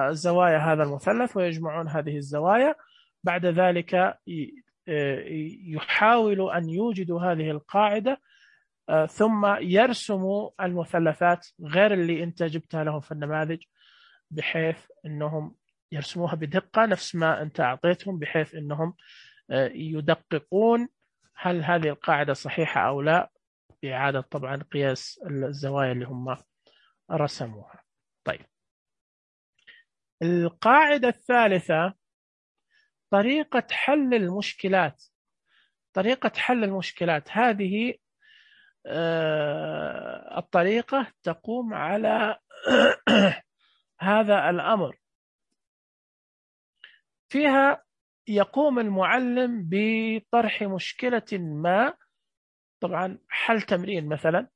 زوايا هذا المثلث ويجمعون هذه الزوايا. بعد ذلك يحاولوا أن يوجدوا هذه القاعدة، ثم يرسموا المثلثات غير اللي أنت جبتها لهم في النماذج، بحيث أنهم يرسموها بدقة نفس ما أنت أعطيتهم، بحيث أنهم يدققون هل هذه القاعدة صحيحة أو لا، بإعادة طبعا قياس الزوايا اللي هم رسموها. طيب، القاعدة الثالثة طريقة حل المشكلات. طريقة حل المشكلات هذه الطريقة تقوم على هذا الأمر. فيها يقوم المعلم بطرح مشكلة ما، طبعا حل تمرين مثلا،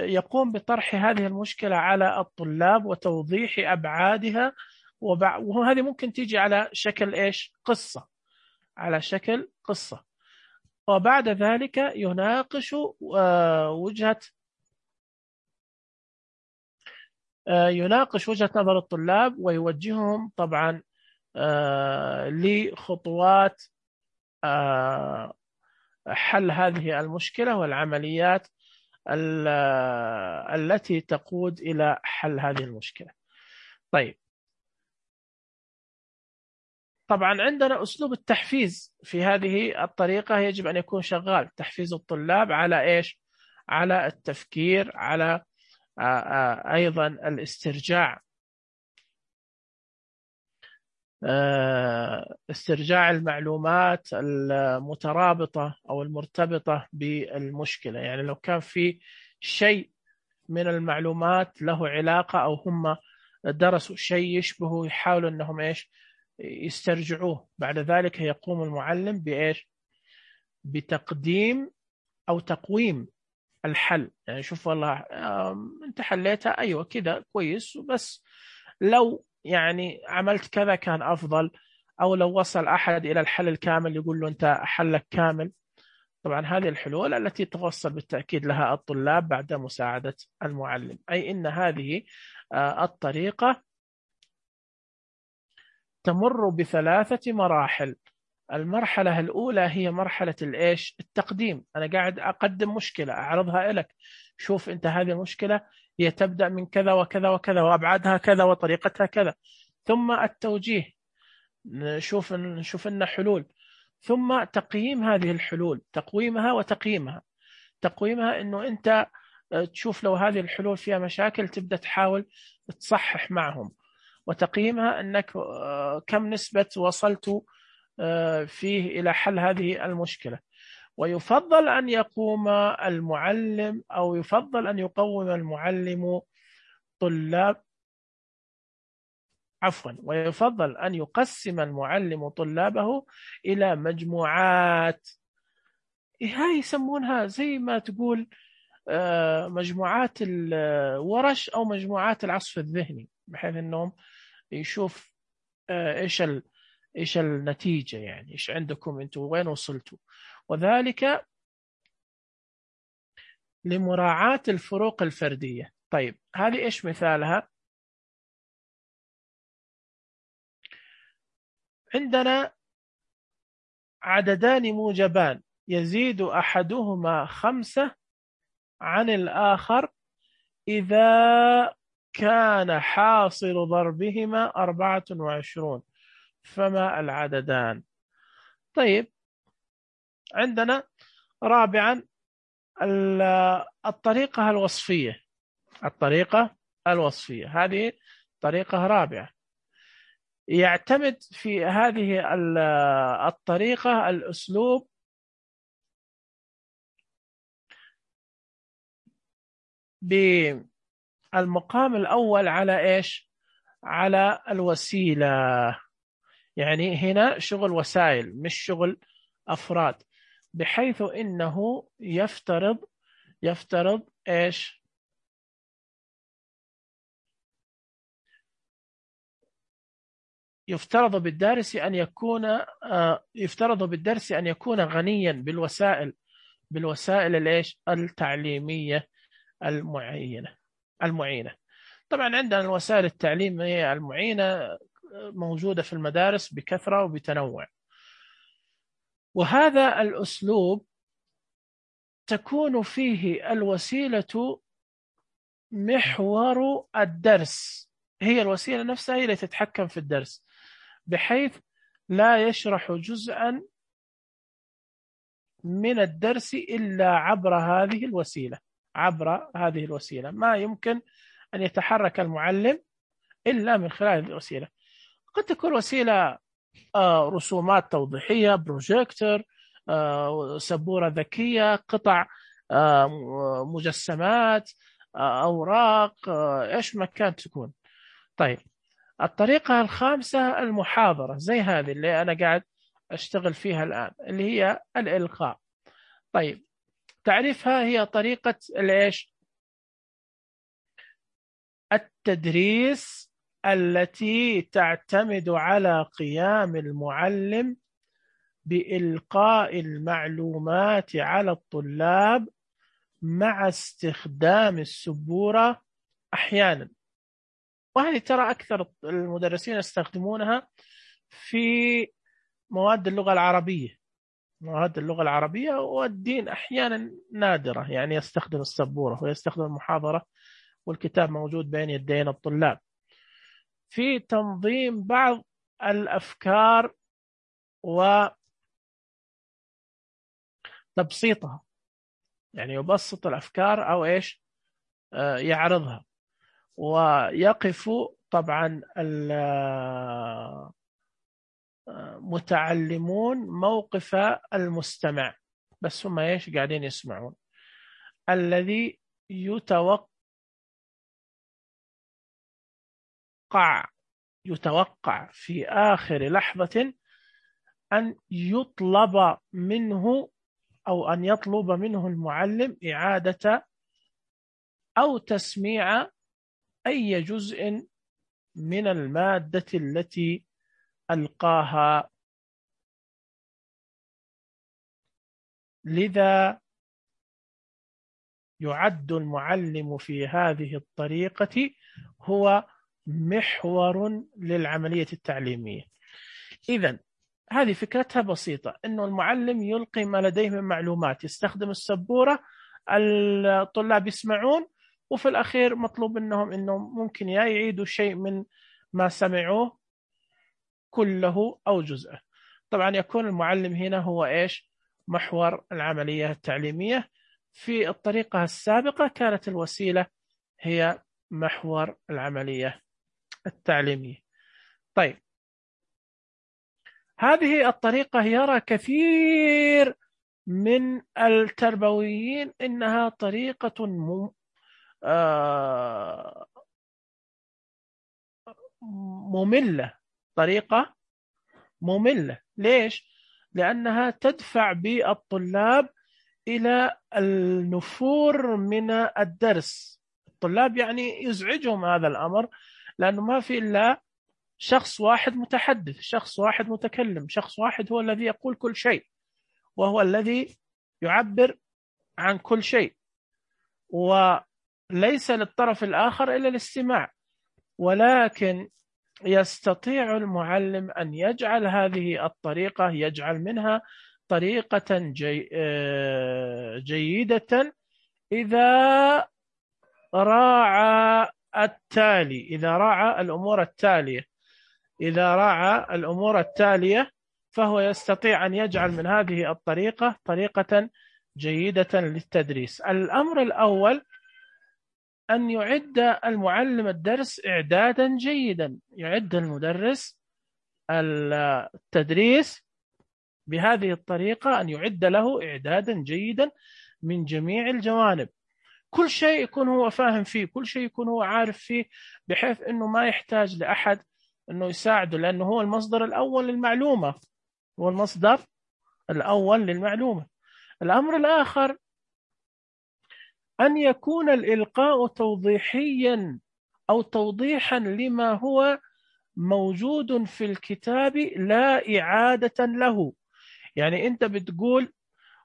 يقوم بطرح هذه المشكلة على الطلاب وتوضيح أبعادها، وهذه ممكن تيجي على شكل إيش؟ قصة، على شكل قصة. وبعد ذلك يناقش وجهة يناقش وجهة نظر الطلاب ويوجههم طبعا لخطوات حل هذه المشكلة والعمليات التي تقود إلى حل هذه المشكلة. طيب، طبعا عندنا أسلوب التحفيز في هذه الطريقة يجب أن يكون شغال، تحفيز الطلاب على إيش؟ على التفكير، على أيضا الاسترجاع، استرجاع المعلومات المترابطة أو المرتبطة بالمشكلة. يعني لو كان في شيء من المعلومات له علاقة أو هم درسوا شيء يشبهه، يحاولوا أنهم إيش؟ يسترجعوه. بعد ذلك يقوم المعلم بإيش؟ بتقديم أو تقويم الحل. يعني شوف والله أنت حليتها، أيوة كده كويس، بس لو يعني عملت كذا كان أفضل، أو لو وصل أحد إلى الحل الكامل يقول له أنت حلك كامل. طبعا هذه الحلول التي توصل بالتأكيد لها الطلاب بعد مساعدة المعلم. أي إن هذه الطريقة تمر بثلاثة مراحل. المرحلة الأولى هي مرحلة الإيش؟ التقديم. أنا قاعد أقدم مشكلة أعرضها لك، شوف أنت هذه المشكلة هي تبدأ من كذا وكذا وكذا وأبعادها كذا وطريقتها كذا. ثم التوجيه، نشوف نشوف لنا حلول. ثم تقييم هذه الحلول، تقويمها وتقييمها. تقويمها إنه أنت تشوف لو هذه الحلول فيها مشاكل تبدأ تحاول تصحح معهم. وتقييمها أنك كم نسبة وصلت فيه إلى حل هذه المشكلة. ويفضل أن يقوم المعلم أو يفضل أن يقوم المعلم طلاب عفوا ويفضل أن يقسم المعلم طلابه إلى مجموعات. هاي يسمونها زي ما تقول مجموعات الورش أو مجموعات العصف الذهني، بحيث أنهم يشوف إيش ال إيش النتيجة، يعني إيش عندكم أنتم، وين وصلتوا، وذلك لمراعاة الفروق الفردية. طيب، هذه إيش مثالها؟ عندنا عددان موجبان يزيد أحدهما خمسة عن الآخر إذا كان حاصل ضربهما أربعة وعشرون، فما العددان؟ طيب، عندنا رابعا الطريقة الوصفية. الطريقة الوصفية هذه طريقة رابعة. يعتمد في هذه الطريقة الأسلوب بالمقام الأول على إيش؟ على الوسيلة. يعني هنا شغل وسائل مش شغل أفراد، بحيث إنه يفترض يفترض إيش؟ يفترض بالدارس أن يكون يفترض بالدرس أن يكون غنيا بالوسائل بالوسائل الإيش؟ التعليمية المعينة المعينة. طبعا عندنا الوسائل التعليمية المعينة موجودة في المدارس بكثرة وبتنوع، وهذا الأسلوب تكون فيه الوسيلة محور الدرس هي الوسيلة نفسها هي اللي تتحكم في الدرس، بحيث لا يشرح جزءا من الدرس إلا عبر هذه الوسيلة. عبر هذه الوسيلة ما يمكن أن يتحرك المعلم إلا من خلال هذه الوسيلة. قد تكون وسيلة آه، رسومات توضيحية، بروجيكتور، آه، سبورة ذكية، قطع آه، مجسمات، آه، أوراق، آه، إيش ما كانت تكون. طيب الطريقة الخامسة المحاضرة، زي هذه اللي أنا قاعد أشتغل فيها الآن، اللي هي الإلقاء. طيب تعريفها هي طريقة الإيش؟ التدريس التي تعتمد على قيام المعلم بإلقاء المعلومات على الطلاب مع استخدام السبورة أحيانا. وهذه ترى أكثر المدرسين يستخدمونها في مواد اللغة العربية. مواد اللغة العربية والدين أحيانا نادرة يعني يستخدم السبورة ويستخدم المحاضرة والكتاب موجود بين يدين الطلاب في تنظيم بعض الأفكار وتبسيطها، يعني يبسط الأفكار أو إيش آه يعرضها، ويقف طبعا المتعلمون موقف المستمع، بس هم إيش قاعدين يسمعون، الذي يتوقع يتوقع في آخر لحظة أن يطلب منه أو أن يطلب منه المعلم إعادة أو تسميع أي جزء من المادة التي ألقاها. لذا يعد المعلم في هذه الطريقة هو محور للعملية التعليمية. إذن هذه فكرتها بسيطة، إنه المعلم يلقي ما لديه من معلومات، يستخدم السبورة، الطلاب يسمعون، وفي الأخير مطلوب منهم إنهم ممكن يا يعيدوا شيء من ما سمعوه كله أو جزءه. طبعا يكون المعلم هنا هو إيش؟ محور العملية التعليمية. في الطريقة السابقة كانت الوسيلة هي محور العملية التعليمية. طيب هذه الطريقة يرى كثير من التربويين إنها طريقة م... آه... مملة، طريقة مملة. ليش؟ لأنها تدفع بالطلاب إلى النفور من الدرس. الطلاب يعني يزعجهم هذا الأمر، لأنه ما في إلا شخص واحد متحدث، شخص واحد متكلم، شخص واحد هو الذي يقول كل شيء، وهو الذي يعبر عن كل شيء، وليس للطرف الآخر إلا الاستماع. ولكن يستطيع المعلم أن يجعل هذه الطريقة، يجعل منها طريقة جي جيدة إذا راعى التالي، إذا راعى الأمور التالية إذا راعى الأمور التالية فهو يستطيع أن يجعل من هذه الطريقة طريقة جيدة للتدريس. الأمر الأول أن يعد المعلم الدرس إعدادا جيدا، يعد المدرس التدريس بهذه الطريقة، أن يعد له إعدادا جيدا من جميع الجوانب. كل شيء يكون هو فاهم فيه، كل شيء يكون هو عارف فيه، بحيث أنه ما يحتاج لأحد أنه يساعده، لأنه هو المصدر الأول للمعلومة، هو المصدر الأول للمعلومة. الأمر الآخر أن يكون الإلقاء توضيحيا أو توضيحا لما هو موجود في الكتاب لا إعادة له. يعني أنت بتقول،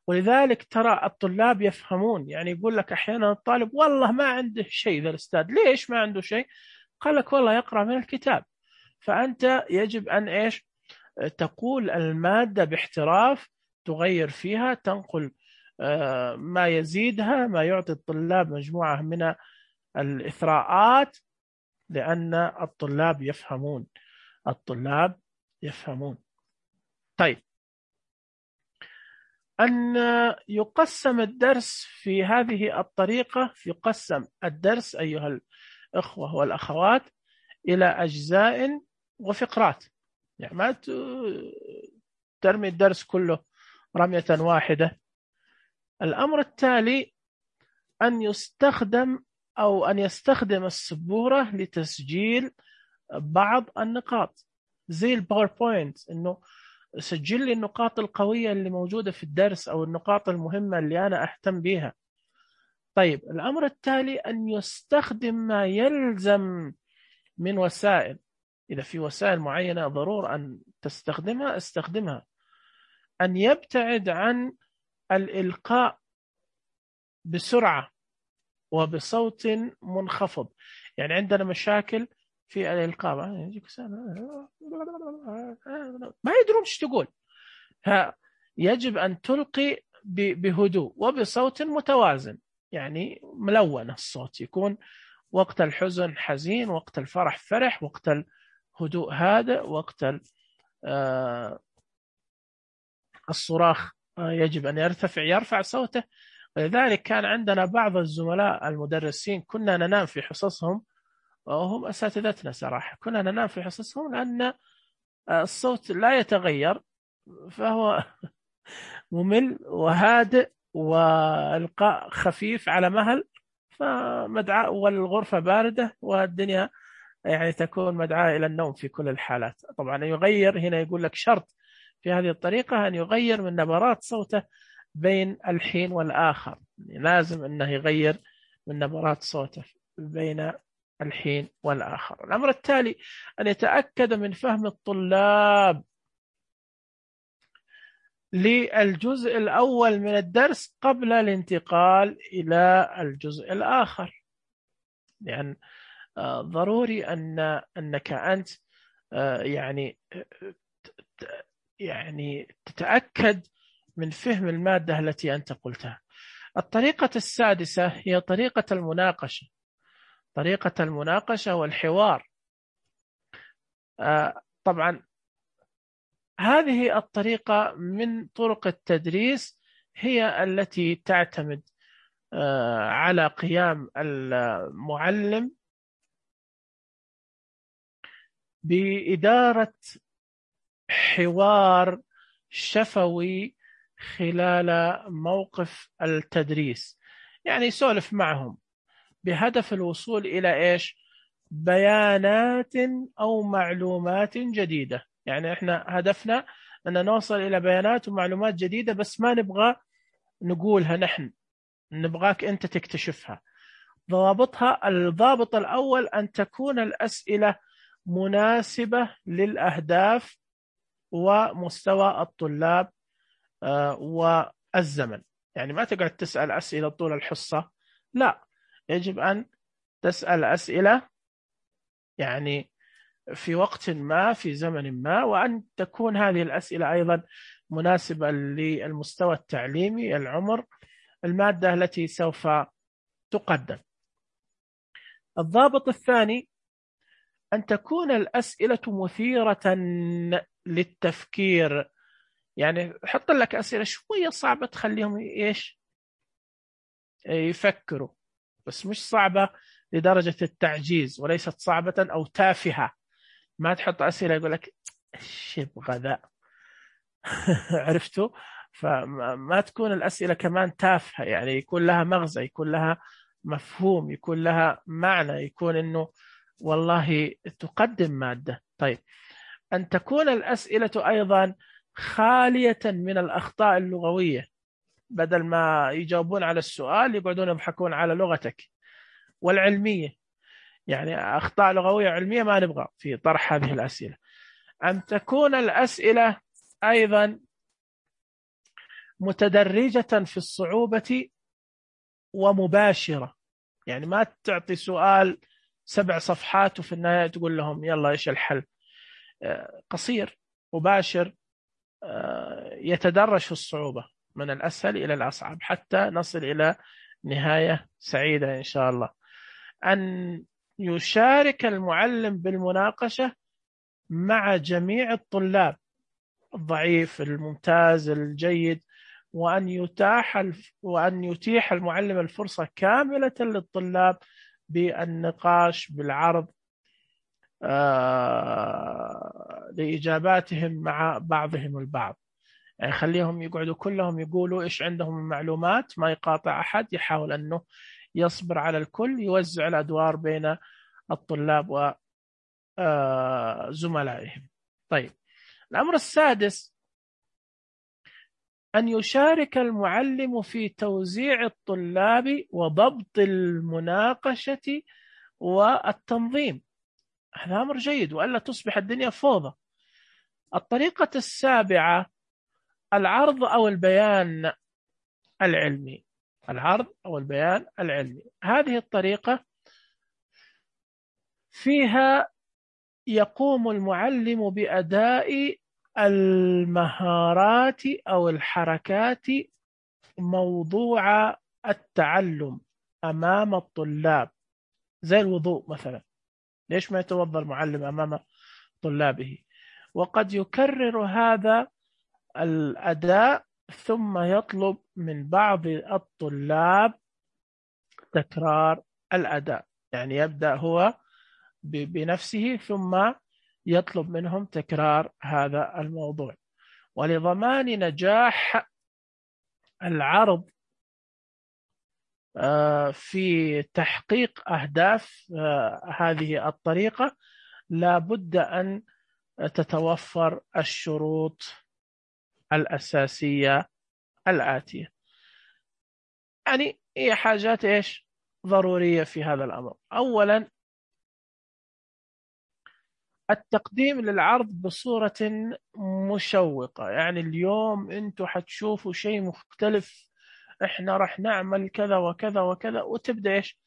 ولذلك ترى الطلاب يفهمون، يعني يقول لك أحيانا الطالب والله ما عنده شيء ذا الأستاذ. ليش ما عنده شيء؟ قال لك والله يقرأ من الكتاب. فأنت يجب أن إيش؟ تقول المادة باحتراف، تغير فيها، تنقل ما يزيدها، ما يعطي الطلاب مجموعة من الإثراءات، لأن الطلاب يفهمون الطلاب يفهمون. طيب، أن يقسم الدرس في هذه الطريقة، يقسم الدرس أيها الأخوة والأخوات إلى أجزاء وفقرات. يعني ما ترمي الدرس كله رمية واحدة. الأمر التالي أن يستخدم أو أن يستخدم السبورة لتسجيل بعض النقاط زي الباوربوينت، إنه سجل لي النقاط القوية اللي موجودة في الدرس أو النقاط المهمة اللي أنا أهتم بها. طيب، الأمر التالي أن يستخدم ما يلزم من وسائل. إذا في وسائل معينة ضرورة أن تستخدمها استخدمها. أن يبتعد عن الإلقاء بسرعة وبصوت منخفض. يعني عندنا مشاكل في الإلقاء، ما يدرون ايش تقول. يجب أن تلقي بهدوء وبصوت متوازن، يعني ملون الصوت، يكون وقت الحزن حزين، وقت الفرح فرح، وقت الهدوء هادئ، وقت الصراخ يجب أن يرتفع يرفع صوته. ولذلك كان عندنا بعض الزملاء المدرسين كنا ننام في حصصهم، وهم أساتذتنا صراحة، كنا ننام في حصصهم لأن الصوت لا يتغير، فهو ممل وهادئ والقاء خفيف على مهل، فمدعاة والغرفة باردة والدنيا يعني تكون مدعاة إلى النوم في كل الحالات. طبعا يغير هنا، يقول لك شرط في هذه الطريقة أن يغير من نبرات صوته بين الحين والآخر، يعني لازم أنه يغير من نبرات صوته بين الحين والآخر. الأمر التالي أن يتأكد من فهم الطلاب للجزء الأول من الدرس قبل الانتقال إلى الجزء الآخر. لأن ضروري أن أنك أنت يعني يعني تتأكد من فهم المادة التي أنت قلتها. الطريقة السادسة هي طريقة المناقشة. طريقة المناقشة والحوار. طبعا هذه الطريقة من طرق التدريس هي التي تعتمد على قيام المعلم بإدارة حوار شفوي خلال موقف التدريس، يعني يسولف معهم بهدف الوصول إلى إيش؟ بيانات أو معلومات جديدة. يعني إحنا هدفنا أن نوصل إلى بيانات ومعلومات جديدة، بس ما نبغى نقولها نحن، نبغاك أنت تكتشفها. ضوابطها: الضابط الأول أن تكون الأسئلة مناسبة للأهداف ومستوى الطلاب والزمن. يعني ما تقعد تسأل أسئلة طول الحصة، لا، يجب أن تسأل أسئلة يعني في وقت ما في زمن ما، وأن تكون هذه الأسئلة أيضا مناسبة للمستوى التعليمي، العمر، المادة التي سوف تقدم. الضابط الثاني أن تكون الأسئلة مثيرة للتفكير. يعني حط لك أسئلة شوية صعبة تخليهم إيش يفكروا، بس مش صعبة لدرجة التعجيز، وليست صعبة أو تافهة. ما تحط أسئلة يقول لك إيش يبغى ذا عرفتوا؟ فما تكون الأسئلة كمان تافهة، يعني يكون لها مغزى، يكون لها مفهوم، يكون لها معنى، يكون إنه والله تقدم مادة. طيب، أن تكون الأسئلة أيضا خالية من الأخطاء اللغوية، بدل ما يجاوبون على السؤال يقعدون يضحكون على لغتك. والعلمية، يعني أخطاء لغوية علمية ما نبغى في طرح هذه الأسئلة. أن تكون الأسئلة أيضا متدرجة في الصعوبة ومباشرة، يعني ما تعطي سؤال سبع صفحات وفي النهاية تقول لهم يلا إيش الحل. قصير مباشر، يتدرج في الصعوبة من الأسهل إلى الأصعب حتى نصل إلى نهاية سعيدة إن شاء الله. أن يشارك المعلم بالمناقشة مع جميع الطلاب، الضعيف الممتاز الجيد، وأن يتاح وأن يتيح المعلم الفرصة كاملة للطلاب بالنقاش بالعرض آه لإجاباتهم مع بعضهم البعض. يعني خليهم يقعدوا كلهم يقولوا إيش عندهم من معلومات، ما يقاطع أحد، يحاول أنه يصبر على الكل، يوزع الأدوار بين الطلاب وزملائهم. طيب، الأمر السادس أن يشارك المعلم في توزيع الطلاب وضبط المناقشة والتنظيم. هذا أمر جيد، وألا تصبح الدنيا فوضى. الطريقة السابعة العرض أو البيان العلمي. العرض أو البيان العلمي، هذه الطريقة فيها يقوم المعلم بأداء المهارات أو الحركات موضوع التعلم أمام الطلاب، زي الوضوء مثلا، ليش ما يتوضأ المعلم أمام طلابه؟ وقد يكرر هذا الأداء ثم يطلب من بعض الطلاب تكرار الأداء، يعني يبدأ هو بنفسه ثم يطلب منهم تكرار هذا الموضوع. ولضمان نجاح العرض في تحقيق أهداف هذه الطريقة لا بد أن تتوفر الشروط الأساسية الآتية. يعني هي حاجات إيش ضرورية في هذا الأمر. أولا، التقديم للعرض بصورة مشوقة، يعني اليوم أنتوا حتشوفوا شيء مختلف، إحنا رح نعمل كذا وكذا وكذا، وتبدأ إيش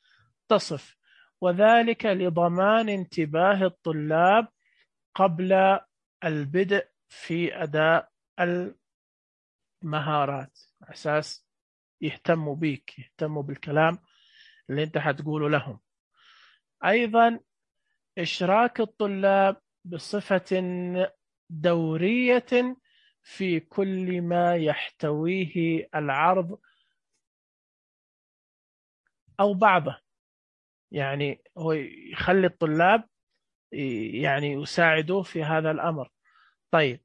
تصف، وذلك لضمان انتباه الطلاب قبل البدء في أداء المهارات، أساس يهتموا بيك، يهتموا بالكلام اللي أنت حتقوله لهم. أيضا إشراك الطلاب بصفة دورية في كل ما يحتويه العرض أو بعضه، يعني هو يخلي الطلاب يعني يساعدوه في هذا الأمر. طيب،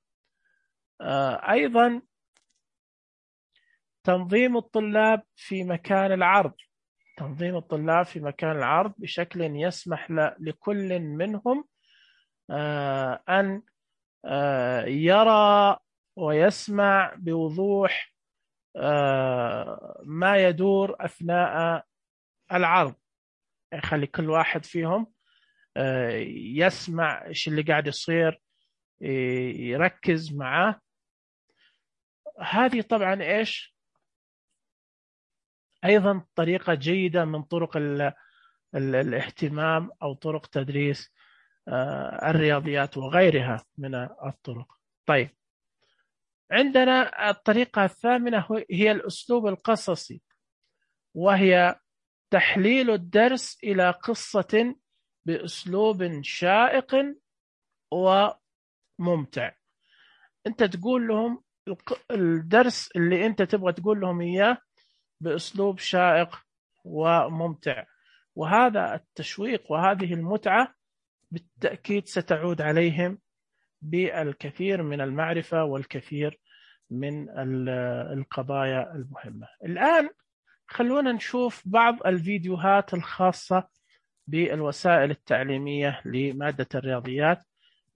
أيضا تنظيم الطلاب في مكان العرض، تنظيم الطلاب في مكان العرض بشكل يسمح لكل منهم أن يرى ويسمع بوضوح ما يدور أثناء العرض، يخلي كل واحد فيهم يسمع إيش اللي قاعد يصير، يركز معاه. هذه طبعا إيش أيضا طريقة جيدة من طرق ال ال الاهتمام أو طرق تدريس الرياضيات وغيرها من الطرق. طيب، عندنا الطريقة الثامنة هي الأسلوب القصصي، وهي تحليل الدرس إلى قصة بأسلوب شائق وممتع. أنت تقول لهم الدرس اللي أنت تبغى تقول لهم إياه بأسلوب شائق وممتع، وهذا التشويق وهذه المتعة بالتأكيد ستعود عليهم بالكثير من المعرفة والكثير من القضايا المهمة. الآن خلونا نشوف بعض الفيديوهات الخاصة بالوسائل التعليمية لمادة الرياضيات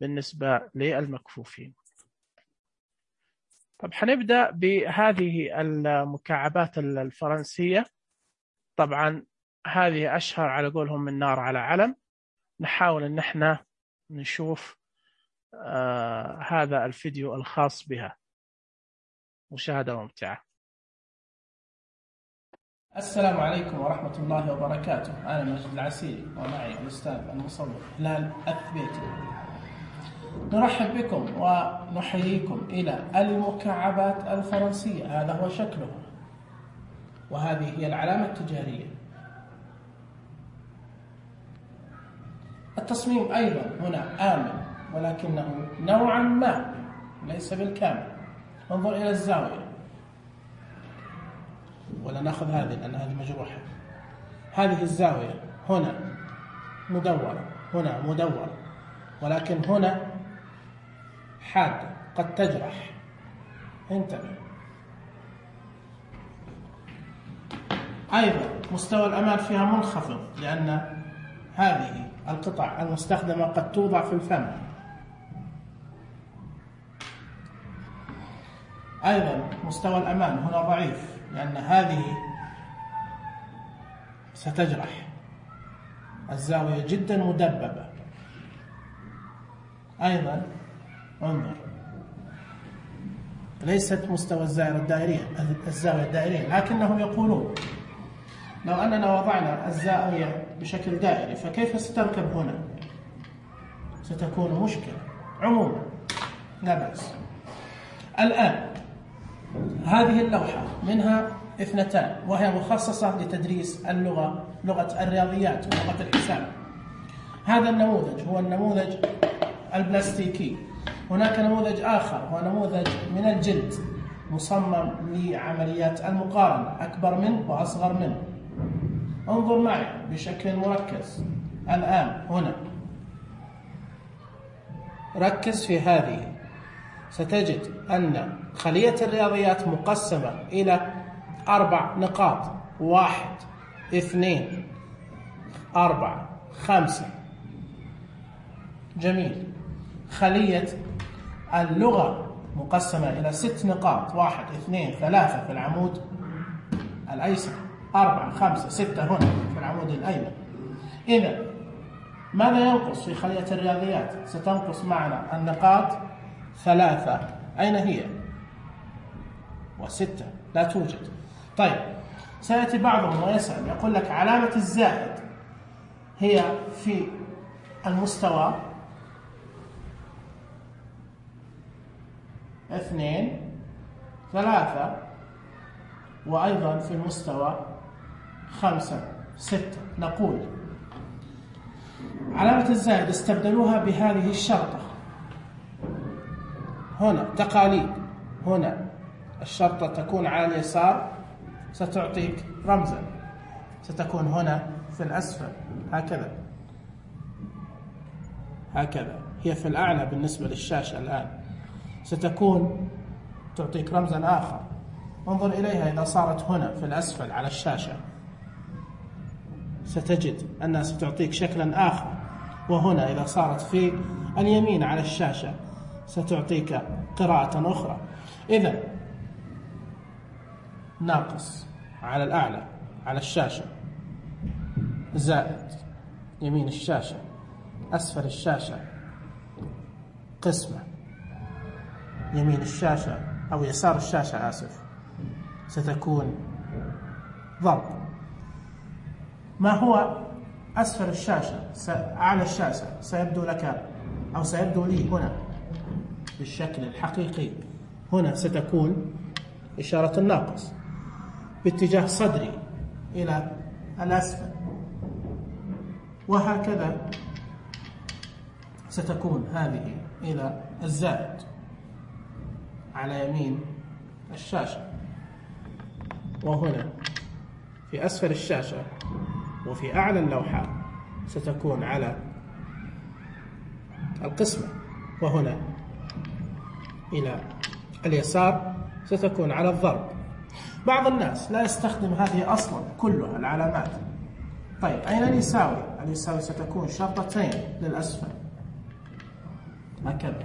بالنسبة للمكفوفين. طب حنبدأ بهذه المكعبات الفرنسية، طبعا هذه أشهر على قولهم من نار على علم. نحاول أن احنا نشوف آه هذا الفيديو الخاص بها، مشاهدة ممتعة. السلام عليكم ورحمة الله وبركاته. أنا مجد العسيري ومعي الأستاذ المصور هلال الثبيتي. نرحب بكم ونحييكم إلى المكعبات الفرنسية. هذا هو شكلها، وهذه هي العلامة التجارية. التصميم أيضا هنا آمن، ولكنه نوعا ما ليس بالكامل. انظر إلى الزاوية، ولا نأخذ هذه لأن هذه مجروحة. هذه الزاوية هنا مدورة، هنا مدورة، ولكن هنا حادة قد تجرح. انتبه. أيضا مستوى الأمان فيها منخفض، لأن هذه القطع المستخدمة قد توضع في الفم. أيضا مستوى الأمان هنا ضعيف، لأن هذه ستجرح. الزاوية جدا مدببة. أيضا انظر، ليست مستوى الزاوية الدائرية الزاوية الدائرية لكنهم يقولون لو أننا وضعنا الزاوية بشكل دائري فكيف ستركب هنا؟ ستكون مشكلة. عموما لا بأس. الآن هذه اللوحة منها اثنتان، وهي مخصصة لتدريس اللغة، لغة الرياضيات ولغة الحساب. هذا النموذج هو النموذج البلاستيكي. هناك نموذج آخر هو نموذج من الجلد مصمم لعمليات المقارنة، أكبر منه وأصغر منه. انظر معي بشكل مركز الآن هنا، ركز في هذه. ستجد أن خلية الرياضيات مقسمة إلى أربع نقاط: واحد، اثنين، أربعة، خمسة. جميل. خلية اللغة مقسمة إلى ست نقاط: واحد، اثنين، ثلاثة في العمود الأيسر، أربعة، خمسة، ستة هنا في العمود الأيمن. إذا ماذا ينقص في خلية الرياضيات؟ ستنقص معنا النقاط ثلاثة. أين هي؟ وستة لا توجد. طيب، سيأتي بعضهم ويسأل يقول لك علامة الزائد هي في المستوى اثنين، ثلاثة، وأيضا في المستوى خمسة، ستة. نقول علامة الزائد استبدلوها بهذه الشرطة. هنا تقاليد، هنا الشرطة تكون على اليسار ستعطيك رمزا، ستكون هنا في الأسفل هكذا هكذا، هي في الأعلى بالنسبة للشاشة الآن، ستكون تعطيك رمزا آخر. انظر إليها إذا صارت هنا في الأسفل على الشاشة ستجد أنها ستعطيك شكلا آخر، وهنا إذا صارت في اليمين على الشاشة ستعطيك قراءة أخرى. إذن ناقص على الأعلى على الشاشة، زائد يمين الشاشة، أسفل الشاشة قسمة، يمين الشاشة أو يسار الشاشة آسف ستكون ضرب. ما هو أسفل الشاشة أعلى الشاشة سيبدو لك أو سيبدو لي هنا بالشكل الحقيقي. هنا ستكون إشارة الناقص باتجاه صدري إلى الأسفل، وهكذا ستكون هذه إلى الزائد على يمين الشاشة، وهنا في أسفل الشاشة وفي أعلى اللوحة ستكون على القسمة، وهنا إلى اليسار ستكون على الضرب. بعض الناس لا يستخدم هذه أصلا كلها العلامات. طيب، أين اليساوي؟ اليساوي ستكون شرطتين للأسفل هكذا،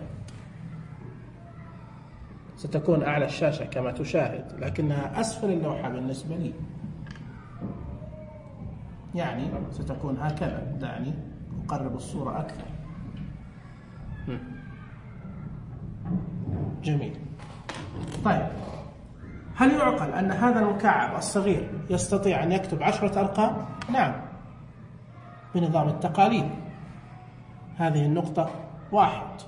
ستكون أعلى الشاشة كما تشاهد، لكنها أسفل اللوحة بالنسبة لي، يعني ستكون هكذا. دعني أقرب الصورة أكثر. جميل. طيب، هل يعقل أن هذا المكعب الصغير يستطيع أن يكتب عشرة أرقام؟ نعم، بنظام التقاليد. هذه النقطة واحد،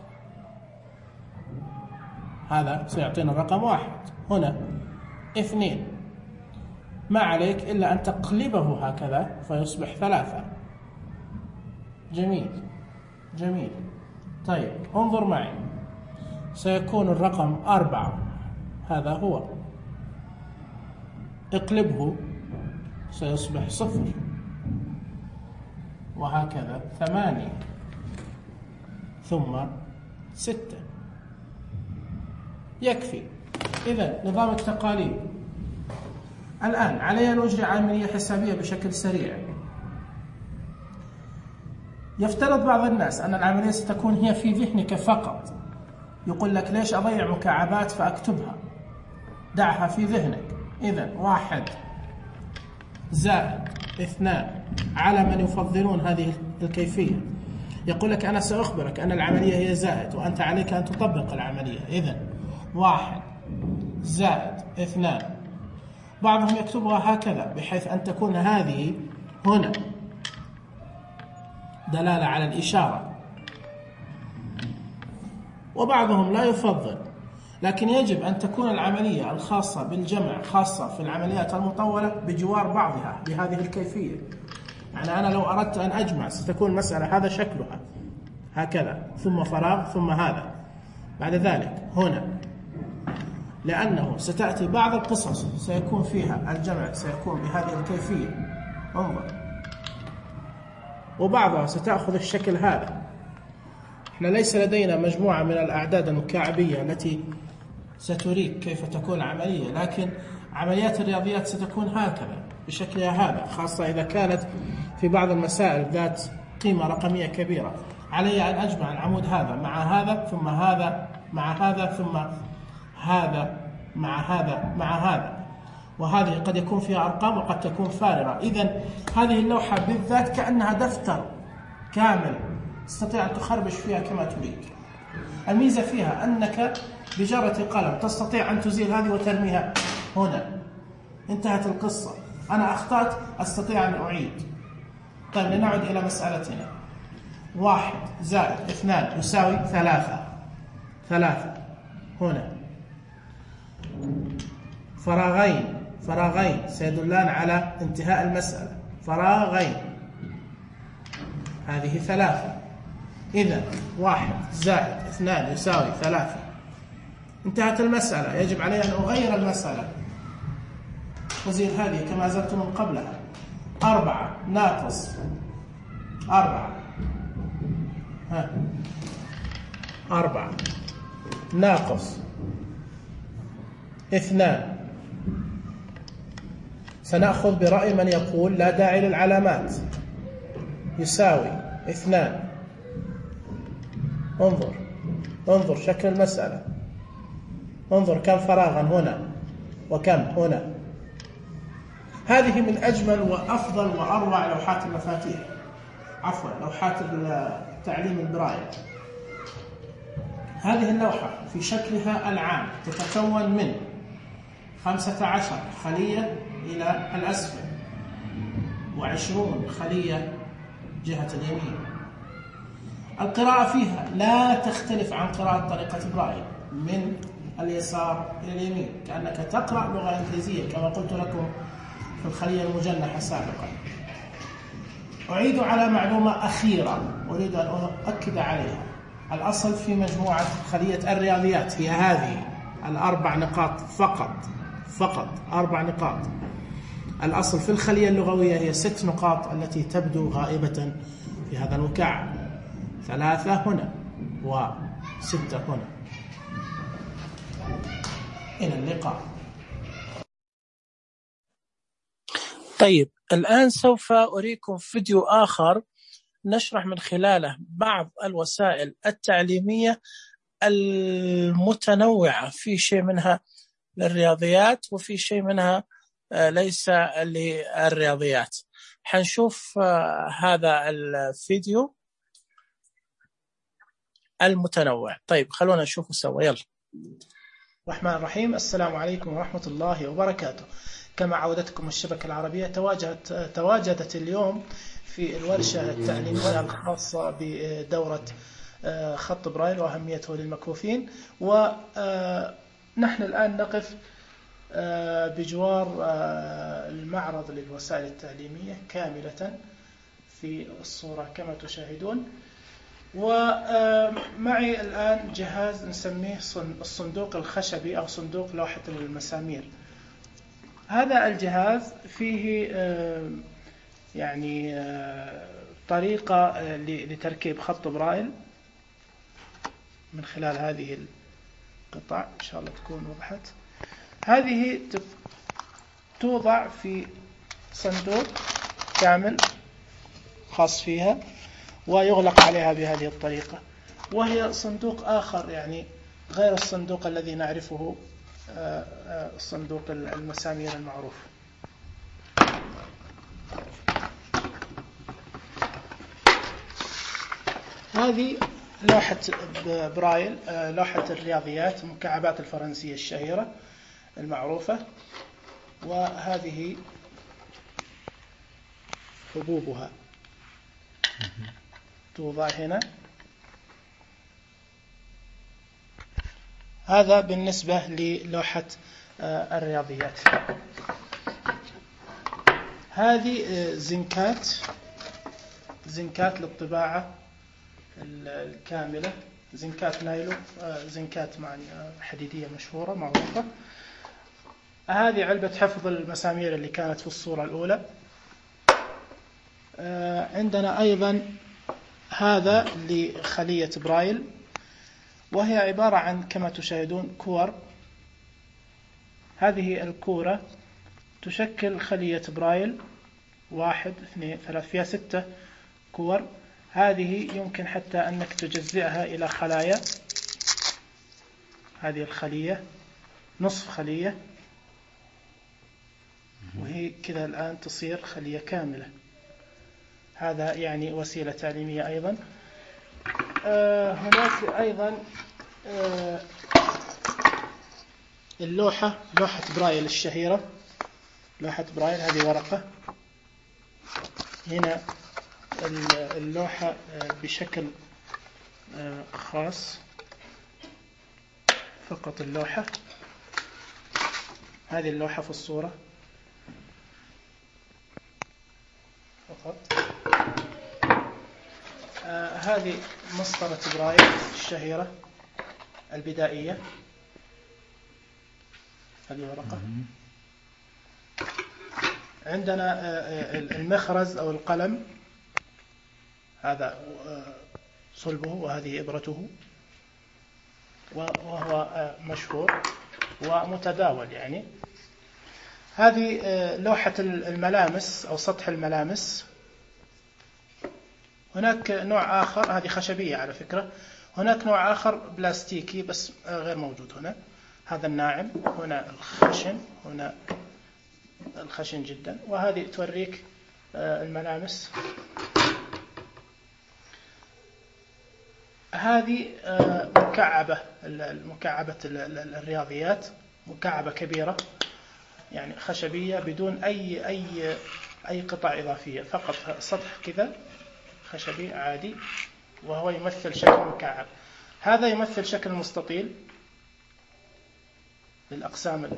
هذا سيعطينا الرقم واحد. هنا اثنين، ما عليك إلا أن تقلبه هكذا فيصبح ثلاثة. جميل. جميل. طيب انظر معي، سيكون الرقم أربعة، هذا هو، اقلبه سيصبح صفر، وهكذا ثمانية، ثم ستة. يكفي. إذا نظام التقاليد. الآن علي أن أجري عملية حسابية بشكل سريع. يفترض بعض الناس أن العملية ستكون هي في ذهنك فقط، يقول لك ليش أضيع مكعبات فأكتبها، دعها في ذهنك. إذن واحد زائد اثنان، على من يفضلون هذه الكيفية يقول لك أنا سأخبرك أن العملية هي زائد وأنت عليك أن تطبق العملية. إذن واحد زائد اثنان. بعضهم يكتبها هكذا بحيث أن تكون هذه هنا دلالة على الإشارة، وبعضهم لا يفضل، لكن يجب أن تكون العملية الخاصة بالجمع خاصة في العمليات المطولة بجوار بعضها بهذه الكيفية. يعني أنا لو أردت أن أجمع ستكون المسألة هذا شكلها هكذا، ثم فراغ، ثم هذا، بعد ذلك هنا، لأنه ستأتي بعض القصص سيكون فيها الجمع سيكون بهذه الكيفية، انظر، وبعضها ستأخذ الشكل هذا. احنا ليس لدينا مجموعة من الأعداد المكعبية التي ستريك كيف تكون العملية، لكن عمليات الرياضيات ستكون هكذا بشكلها هذا، خاصة إذا كانت في بعض المسائل ذات قيمة رقمية كبيرة. علي أن أجمع العمود هذا مع هذا، ثم هذا مع هذا، ثم هذا مع هذا مع هذا، وهذه قد يكون فيها أرقام وقد تكون فارغة. إذن هذه اللوحة بالذات كأنها دفتر كامل تستطيع أن تخربش فيها كما تريد. الميزة فيها أنك بجرة قلم تستطيع أن تزيل هذه وترميها هنا، انتهت القصة. أنا أخطأت أستطيع أن أعيد. طيب لنعد إلى مسألتنا. واحد زائد اثنان يساوي ثلاثة. ثلاثة هنا، فراغين فراغين سيدلان على انتهاء المسألة، فراغين، هذه ثلاثة. إذا واحد زائد اثنان يساوي ثلاثة، انتهت المسألة. يجب علي أن أغير المسألة، أزيل هذه كما زلت من قبلها. أربعة ناقص أربعة، ها أربعة ناقص اثنان. سنأخذ برأي من يقول لا داعي للعلامات، يساوي اثنان. انظر انظر شكل المسألة، انظر كم فراغا هنا وكم هنا. هذه من أجمل وأفضل وأروع لوحات المفاتيح، عفوا لوحات التعليم البرايل. هذه اللوحة في شكلها العام تتكون من خمسة عشر خلية إلى الأسفل وعشرون خلية جهة اليمين. القراءة فيها لا تختلف عن قراءة طريقة برايل، من اليسار إلى اليمين، كأنك تقرأ لغة إنجليزية كما قلت لكم في الخلية المجنحة سابقا. أعيد على معلومة أخيرة أريد أن أؤكد عليها. الأصل في مجموعة خلية الرياضيات هي هذه الأربع نقاط فقط، فقط أربع نقاط. الأصل في الخلية اللغوية هي ست نقاط التي تبدو غائبة في هذا المكعب، ثلاثة هنا وستة هنا. إلى اللقاء. طيب الآن سوف أريكم فيديو آخر نشرح من خلاله بعض الوسائل التعليمية المتنوعة، في شيء منها للرياضيات وفي شيء منها ليس للرياضيات. حنشوف هذا الفيديو المتنوع. طيب خلونا نشوفه سوا، يلا. الرحمن الرحيم. السلام عليكم ورحمة الله وبركاته. كما عودتكم الشبكة العربية تواجدت تواجدت اليوم في الورشة التعليمية الخاصة بدورة خط برايل وأهميته للمكفوفين، ونحن الآن نقف بجوار المعرض للوسائل التعليمية كاملة في الصورة كما تشاهدون. ومعي الآن جهاز نسميه الصندوق الخشبي أو صندوق لوحة المسامير. هذا الجهاز فيه يعني طريقة لتركيب خط برايل من خلال هذه القطع، إن شاء الله تكون وضحت. هذه توضع في صندوق كامل خاص فيها ويغلق عليها بهذه الطريقة، وهي صندوق آخر يعني غير الصندوق الذي نعرفه صندوق المسامير المعروف. هذه لوحة برايل، لوحة الرياضيات المكعبات الفرنسية الشهيرة المعروفة، وهذه حبوبها توضع هنا. هذا بالنسبة للوحة الرياضيات. هذه زنكات زنكات للطباعة الكاملة، زنكات نايلو، زنكات مع حديدية مشهورة معروفة. هذه علبة حفظ المسامير اللي كانت في الصورة الأولى. عندنا أيضا هذا لخلية برايل، وهي عبارة عن كما تشاهدون كور. هذه الكورة تشكل خلية برايل، واحد اثنين ثلاث، فيها ستة كور. هذه يمكن حتى أنك تجزئها إلى خلايا. هذه الخلية نصف خلية، وهي كذا الآن تصير خلية كاملة. هذا يعني وسيلة تعليمية أيضا. آه هناك أيضا آه اللوحة، لوحة برايل الشهيرة، لوحة برايل. هذه ورقة، هنا اللوحة بشكل خاص، فقط اللوحة. هذه اللوحة في الصورة فقط. آه هذه مسطرة برايل الشهيرة البدائية. هذه ورقة. عندنا آه المخرز أو القلم، هذا صلبه وهذه إبرته، وهو مشهور ومتداول يعني. هذه لوحة الملامس أو سطح الملامس. هناك نوع آخر، هذه خشبية على فكرة. هناك نوع آخر بلاستيكي بس غير موجود هنا. هذا الناعم، هنا الخشن، هنا الخشن جدا. وهذه توريك الملامس. هذه مكعبة، المكعبة الرياضيات، مكعبة كبيرة يعني خشبية بدون أي أي أي قطع إضافية، فقط سطح كذا خشبي عادي، وهو يمثل شكل مكعب. هذا يمثل شكل مستطيل للأقسام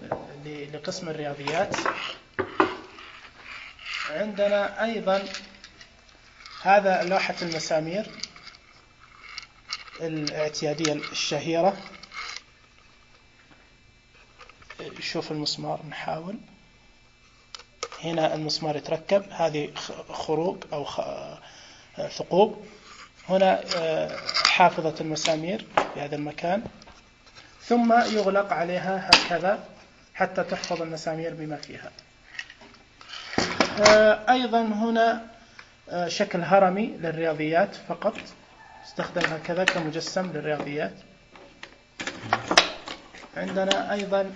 لقسم الرياضيات. عندنا أيضا هذا لوحة المسامير الاعتيادية الشهيرة. شوف المسمار، نحاول. هنا المسمار يتركب، هذه خروق أو ثقوب. هنا حافظة المسامير في هذا المكان، ثم يغلق عليها هكذا حتى تحفظ المسامير بما فيها. أيضا هنا شكل هرمي للرياضيات فقط، استخدم هكذا كمجسم للرياضيات. عندنا أيضا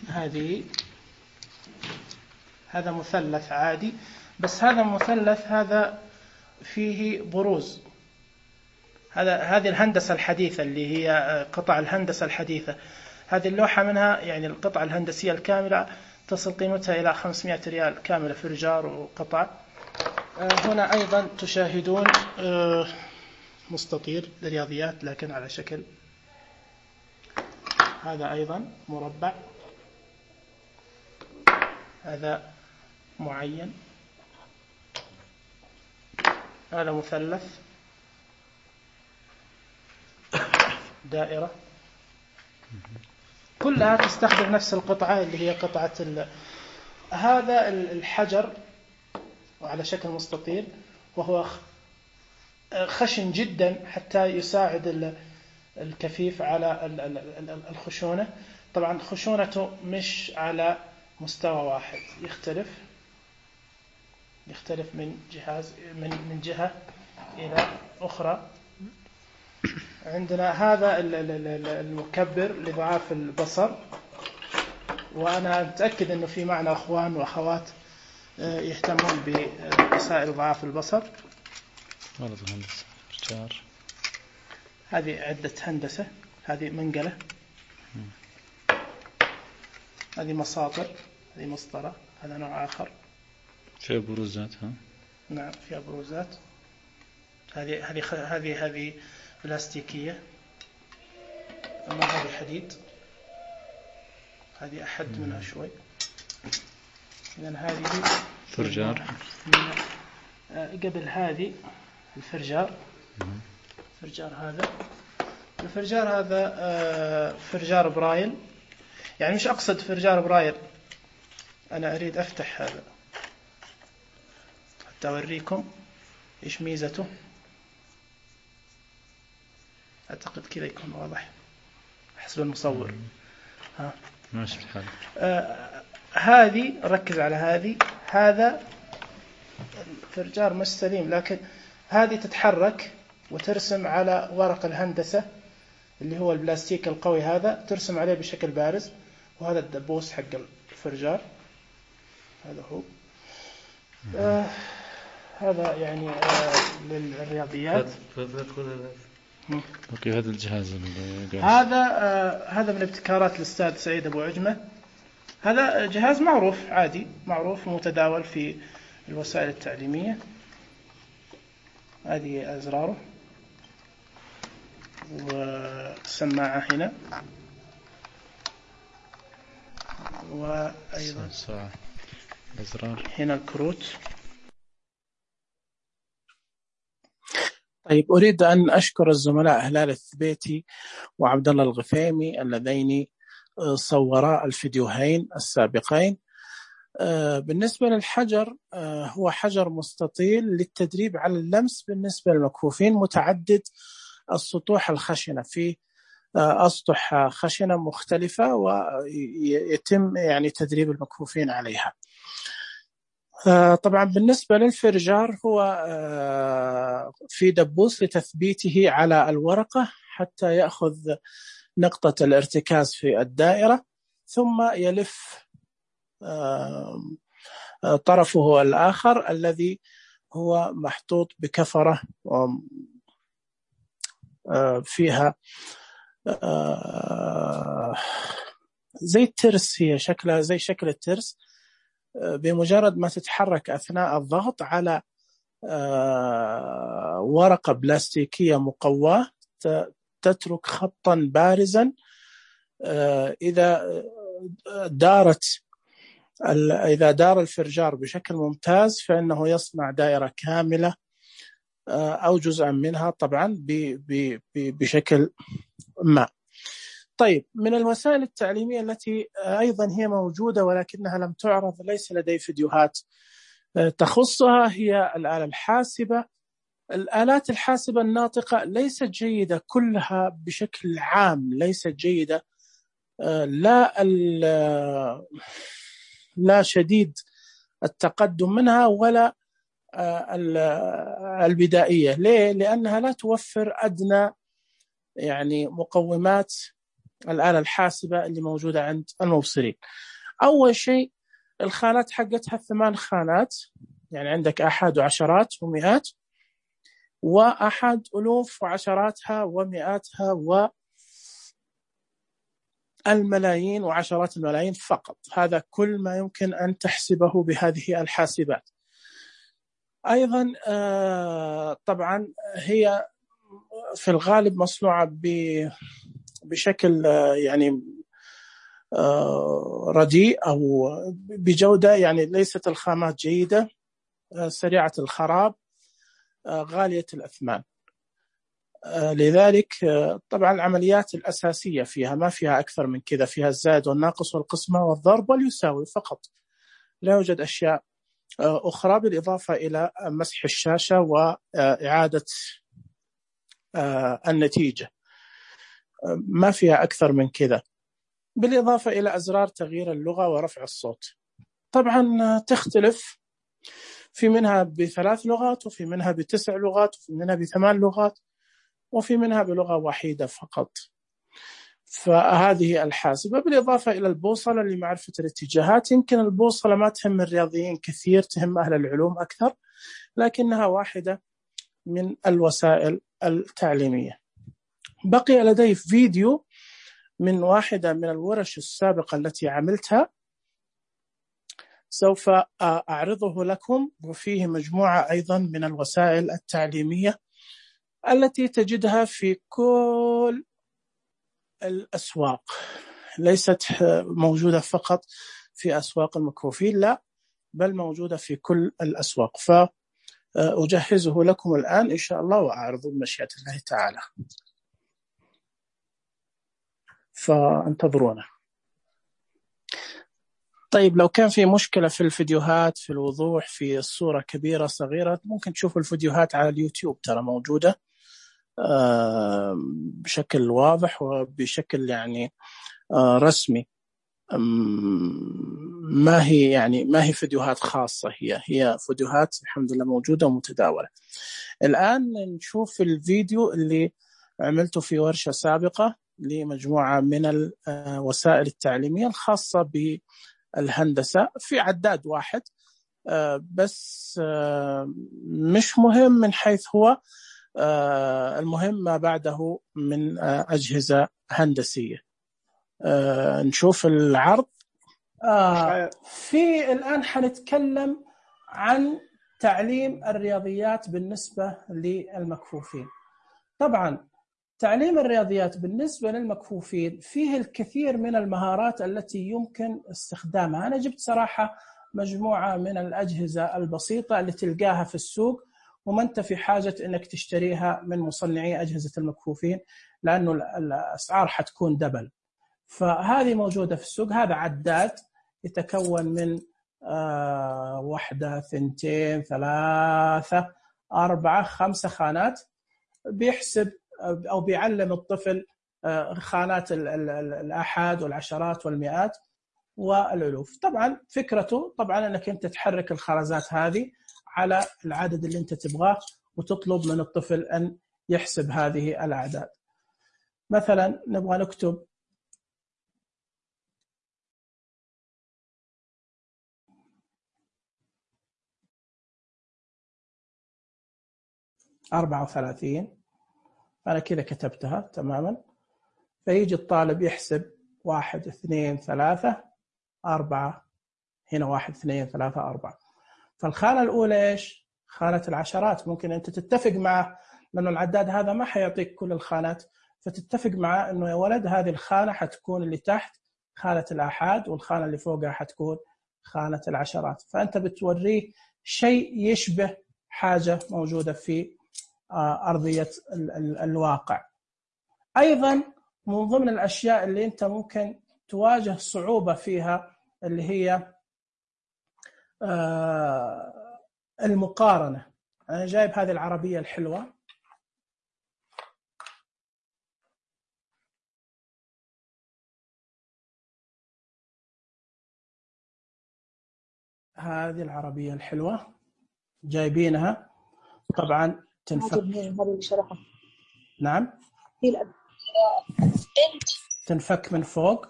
هذه، هذا مثلث عادي، بس هذا مثلث هذا فيه بروز. هذا هذه الهندسة الحديثة اللي هي قطع الهندسة الحديثة. هذه اللوحة منها يعني القطعة الهندسية الكاملة تصل قيمتها إلى خمسمائة ريال كاملة، فرجار وقطع. هنا أيضا تشاهدون مستطيل للرياضيات لكن على شكل، هذا أيضا مربع، هذا معين. هذا مثلث، دائرة، كلها تستخدم نفس القطعة اللي هي قطعة ال... هذا الحجر وعلى شكل مستطيل، وهو خشن جدا حتى يساعد الكفيف على الخشونة. طبعا خشونته مش على مستوى واحد، يختلف يختلف من جهاز من من جهة إلى أخرى. عندنا هذا المكبر لضعاف البصر، وأنا متأكد أنه في معنا أخوان وأخوات يهتمون بمسائل ضعاف البصر. هذه عدة هندسة، هذه منقلة، هذه مساطر، هذه مسطرة، هذا نوع آخر فيها بروزات. ها نعم فيها بروزات. هذه هذه هذه هذه بلاستيكية، أما هذه حديد، هذه أحد منها شوي. إذن هذه فرجار. قبل هذه الفرجار، فرجار هذا الفرجار هذا فرجار برايل، يعني مش أقصد فرجار برايل، أنا أريد أفتح هذا حتى أوريكم إيش ميزته. أعتقد كذا يكون واضح حسب المصور. ها ماشي الحال. آه هذه ركز على هذه، هذا الفرجار مش سليم، لكن هذه تتحرك وترسم على ورق الهندسة اللي هو البلاستيك القوي هذا، ترسم عليه بشكل بارز. وهذا الدبوس حق الفرجار، هذا هو. آه هذا يعني آه للرياضيات. اوكي هذا الجهاز هذا آه هذا من ابتكارات الأستاذ سعيد أبو عجمة. هذا جهاز معروف عادي، معروف ومتداول في الوسائل التعليمية. هذه أزراره والسماعة هنا، وأيضا الأزرار هنا الكروت. طيب أريد أن أشكر الزملاء هلال الثبيتي وعبد الله الغفيمي اللذين صورا الفيديوهين السابقين. بالنسبة للحجر، هو حجر مستطيل للتدريب على اللمس بالنسبة للمكفوفين، متعدد السطوح الخشنة، في أسطح خشنة مختلفة ويتم يعني تدريب المكفوفين عليها. طبعا بالنسبة للفرجار هو في دبوس لتثبيته على الورقة حتى يأخذ نقطة الارتكاز في الدائرة، ثم يلف طرفه الآخر الذي هو محطوط بكفرة فيها زي الترس، هي شكلها زي شكل الترس. بمجرد ما تتحرك أثناء الضغط على ورقة بلاستيكية مقواة تترك خطا بارزا. إذا دارت إذا دار الفرجار بشكل ممتاز فإنه يصنع دائرة كاملة أو جزءا منها طبعا بشكل ما. طيب من الوسائل التعليمية التي أيضا هي موجودة ولكنها لم تعرض، ليس لدي فيديوهات تخصها، هي الآلة الحاسبة. الآلات الحاسبة الناطقة ليست جيدة كلها بشكل عام، ليست جيدة، لا لا شديد التقدم منها ولا البدائية. ليه؟ لأنها لا توفر أدنى يعني مقومات الآلة الحاسبة اللي موجودة عند المبصرين. أول شيء الخانات حقتها ثمان خانات، يعني عندك أحد وعشرات ومئات، وأحد ألوف وعشراتها ومئاتها والملايين وعشرات الملايين فقط. هذا كل ما يمكن أن تحسبه بهذه الحاسبات. أيضا طبعا هي في الغالب مصنوعة بشكل يعني رديء أو بجودة، يعني ليست الخامات جيدة، سريعة الخراب. غالية الأثمان. لذلك طبعا العمليات الأساسية فيها ما فيها أكثر من كذا، فيها الزائد والناقص والقسمة والضرب واليساوي فقط، لا يوجد أشياء أخرى بالإضافة إلى مسح الشاشة وإعادة النتيجة، ما فيها أكثر من كذا، بالإضافة إلى أزرار تغيير اللغة ورفع الصوت. طبعا تختلف، في منها بثلاث لغات وفي منها بتسع لغات وفي منها بثمان لغات وفي منها بلغة واحدة فقط. فهذه الحاسبة بالإضافة إلى البوصلة لمعرفة الاتجاهات. يمكن البوصلة ما تهم الرياضيين كثير، تهم أهل العلوم أكثر، لكنها واحدة من الوسائل التعليمية. بقي لدي فيديو من واحدة من الورش السابقة التي عملتها، سوف أعرضه لكم، وفيه مجموعة أيضا من الوسائل التعليمية التي تجدها في كل الأسواق، ليست موجودة فقط في أسواق المكفوفين، لا بل موجودة في كل الأسواق. فأجهزه لكم الآن إن شاء الله وأعرضه بمشيئة الله تعالى، فانتظرونا. طيب لو كان في مشكلة في الفيديوهات، في الوضوح، في الصورة كبيرة صغيرة، ممكن تشوفوا الفيديوهات على اليوتيوب، ترى موجودة بشكل واضح وبشكل يعني رسمي، ما هي يعني ما هي فيديوهات خاصة، هي هي فيديوهات الحمد لله موجودة ومتداولة. الآن نشوف الفيديو اللي عملته في ورشة سابقة لمجموعة من الوسائل التعليمية الخاصة بالهندسة في عداد واحد، بس مش مهم من حيث هو، المهم ما بعده من أجهزة هندسية. نشوف العرض. آه في الآن حنتكلم عن تعليم الرياضيات بالنسبة للمكفوفين. طبعا تعليم الرياضيات بالنسبة للمكفوفين فيه الكثير من المهارات التي يمكن استخدامها. أنا جبت صراحة مجموعة من الأجهزة البسيطة اللي تلقاها في السوق، وما أنت في حاجة أنك تشتريها من مصنعي أجهزة المكفوفين، لأنه الأسعار حتكون دبل. فهذه موجودة في السوق. هذا عداد يتكون من آه واحدة، ثنتين، ثلاثة، أربعة، خمسة خانات، بيحسب أو بيعلم الطفل آه خانات الآحاد والعشرات والمئات والألوف. طبعا فكرته طبعا أنك أنت تحرك الخرزات هذه على العدد اللي أنت تبغاه، وتطلب من الطفل أن يحسب هذه الأعداد. مثلا نبغى نكتب أربعة وثلاثين، أنا كذا كتبتها تماما. فيجي الطالب يحسب واحد، اثنين، ثلاثة، أربعة، هنا واحد، اثنين، ثلاثة، أربعة. فالخانة الأولى إيش؟ خانة العشرات. ممكن أنت تتفق معه، لأنه العداد هذا ما حيعطيك كل الخانات، فتتفق معه أنه يا ولد هذه الخانة حتكون اللي تحت خانة الآحاد، والخانة اللي فوقها حتكون خانة العشرات. فأنت بتوريه شيء يشبه حاجة موجودة في أرضية الواقع. أيضا من ضمن الأشياء اللي أنت ممكن تواجه صعوبة فيها اللي هي المقارنة. أنا جايب هذه العربية الحلوة، هذه العربية الحلوة جايبينها طبعا تنفك. نعم تنفك من فوق.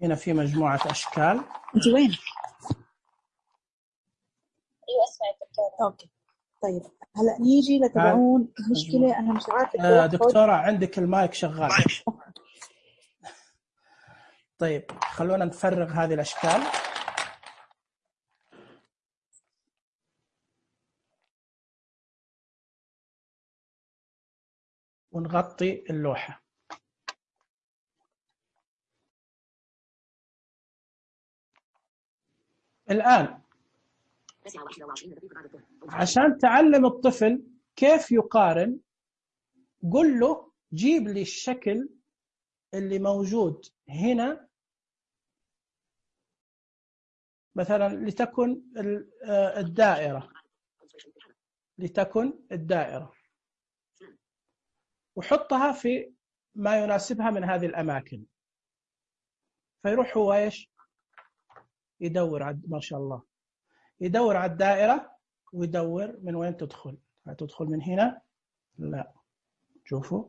هنا في مجموعة أشكال. أنت وين؟ أيوة أسمع دكتورة. أوكي طيب هلا نيجي لتبعون المشكلة. أنا مش عارفة آه دكتورة عندك المايك شغال. طيب خلونا نفرغ هذه الأشكال. ونغطي اللوحة. الآن عشان تعلم الطفل كيف يقارن، قل له جيب لي الشكل اللي موجود هنا، مثلا لتكن الدائرة، لتكن الدائرة وحطها في ما يناسبها من هذه الأماكن. فيروح هو إيش يدور عد ما شاء الله يدور على الدائرة ويدور من وين تدخل. هتدخل من هنا؟ لا. شوفوا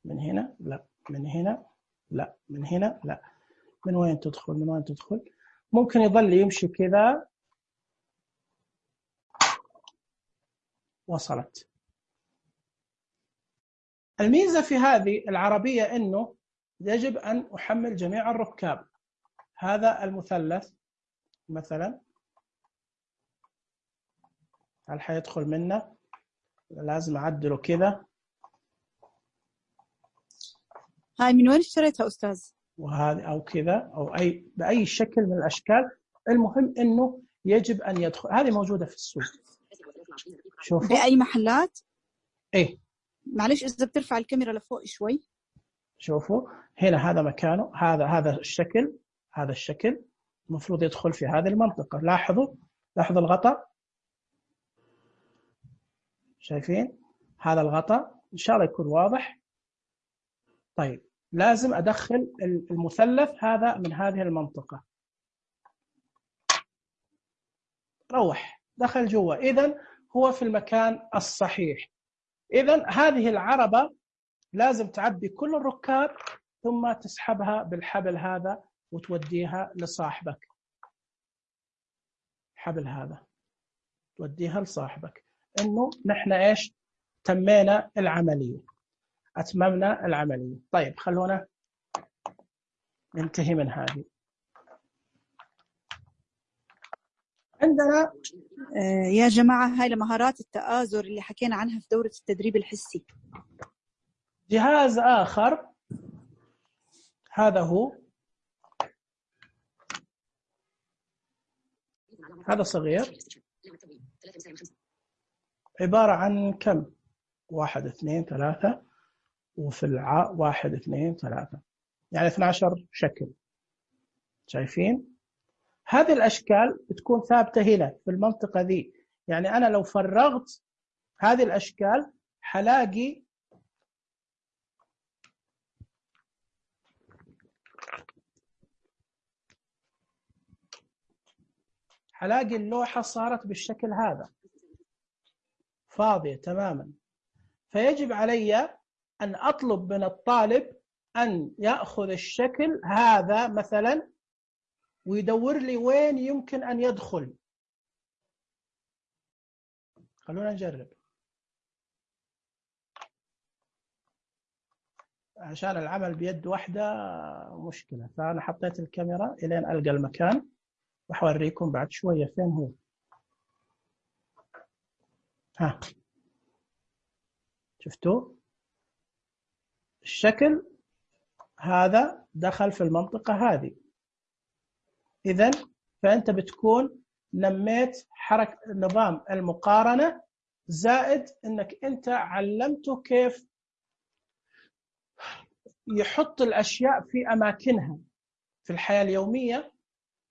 من هنا؟ لا. من هنا؟ لا. من هنا؟ لا. من وين تدخل؟ من وين تدخل؟ ممكن يظل يمشي كذا. وصلت. الميزة في هذه العربية إنه يجب أن أحمل جميع الركاب. هذا المثلث مثلا هل حيدخل منه؟ لازم أعدله كذا. هاي من وين اشتريتها أستاذ؟ وهذا أو كذا أو أي بأي شكل من الأشكال. المهم إنه يجب أن يدخل. هذه موجودة في السوق. شوفوا بأي محلات؟ إيه معلش إذا بترفع الكاميرا لفوق شوي. شوفوا هنا هذا مكانه. هذا هذا الشكل. هذا الشكل المفروض يدخل في هذه المنطقة. لاحظوا لاحظوا الغطاء. شايفين هذا الغطاء؟ إن شاء الله يكون واضح. طيب لازم أدخل المثلث هذا من هذه المنطقة. روح دخل جوا. إذن هو في المكان الصحيح. إذن هذه العربة لازم تعبي كل الركاب ثم تسحبها بالحبل هذا وتوديها لصاحبك. حبل هذا توديها لصاحبك. إنه نحن إيش تمينا العملية، أتممنا العملية. طيب خلونا ننتهي من هذه. عندنا آه يا جماعة هاي لمهارات التآزر اللي حكينا عنها في دورة التدريب الحسي. جهاز آخر هذا هو. هذا صغير عبارة عن كم؟ واحد اثنين ثلاثة وفي العاء واحد اثنين ثلاثة، يعني اثني عشر شكل. شايفين؟ هذه الأشكال بتكون ثابتة هنا في المنطقة ذي. يعني أنا لو فرغت هذه الأشكال حلاقي حلاقي اللوحة صارت بالشكل هذا فاضية تماما. فيجب علي أن أطلب من الطالب أن يأخذ الشكل هذا مثلا ويدور لي وين يمكن أن يدخل. خلونا نجرب عشان العمل بيد واحدة مشكلة. فأنا حطيت الكاميرا إلين ألقى المكان وحوريكم بعد شوية فين هو. ها شفتوا الشكل هذا دخل في المنطقة هذه. إذن فأنت بتكون نميت حركة نظام المقارنة، زائد أنك أنت علمته كيف يحط الأشياء في أماكنها في الحياة اليومية.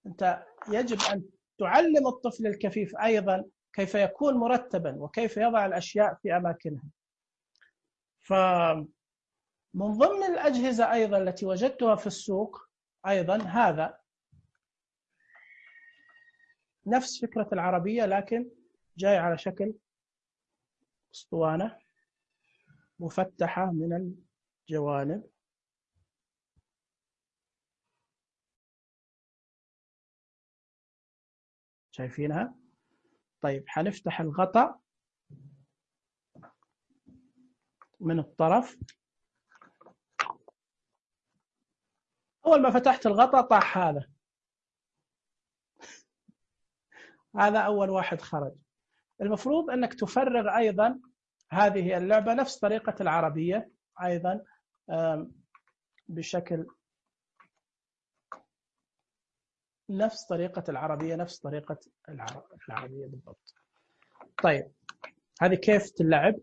أنت يجب أن تعلم الطفل الكفيف أيضا كيف يكون مرتبا وكيف يضع الأشياء في أماكنها. فمن ضمن الأجهزة أيضا التي وجدتها في السوق أيضا هذا نفس فكرة العربية لكن جاي على شكل اسطوانة مفتحة من الجوانب. شايفينها؟ طيب حنفتح الغطاء من الطرف. أول ما فتحت الغطاء طاح هذا. هذا أول واحد خرج. المفروض أنك تفرغ أيضا هذه اللعبة نفس طريقة العربية أيضا بشكل نفس طريقة العربية، نفس طريقة العربية بالضبط. طيب هذه كيف تلعب؟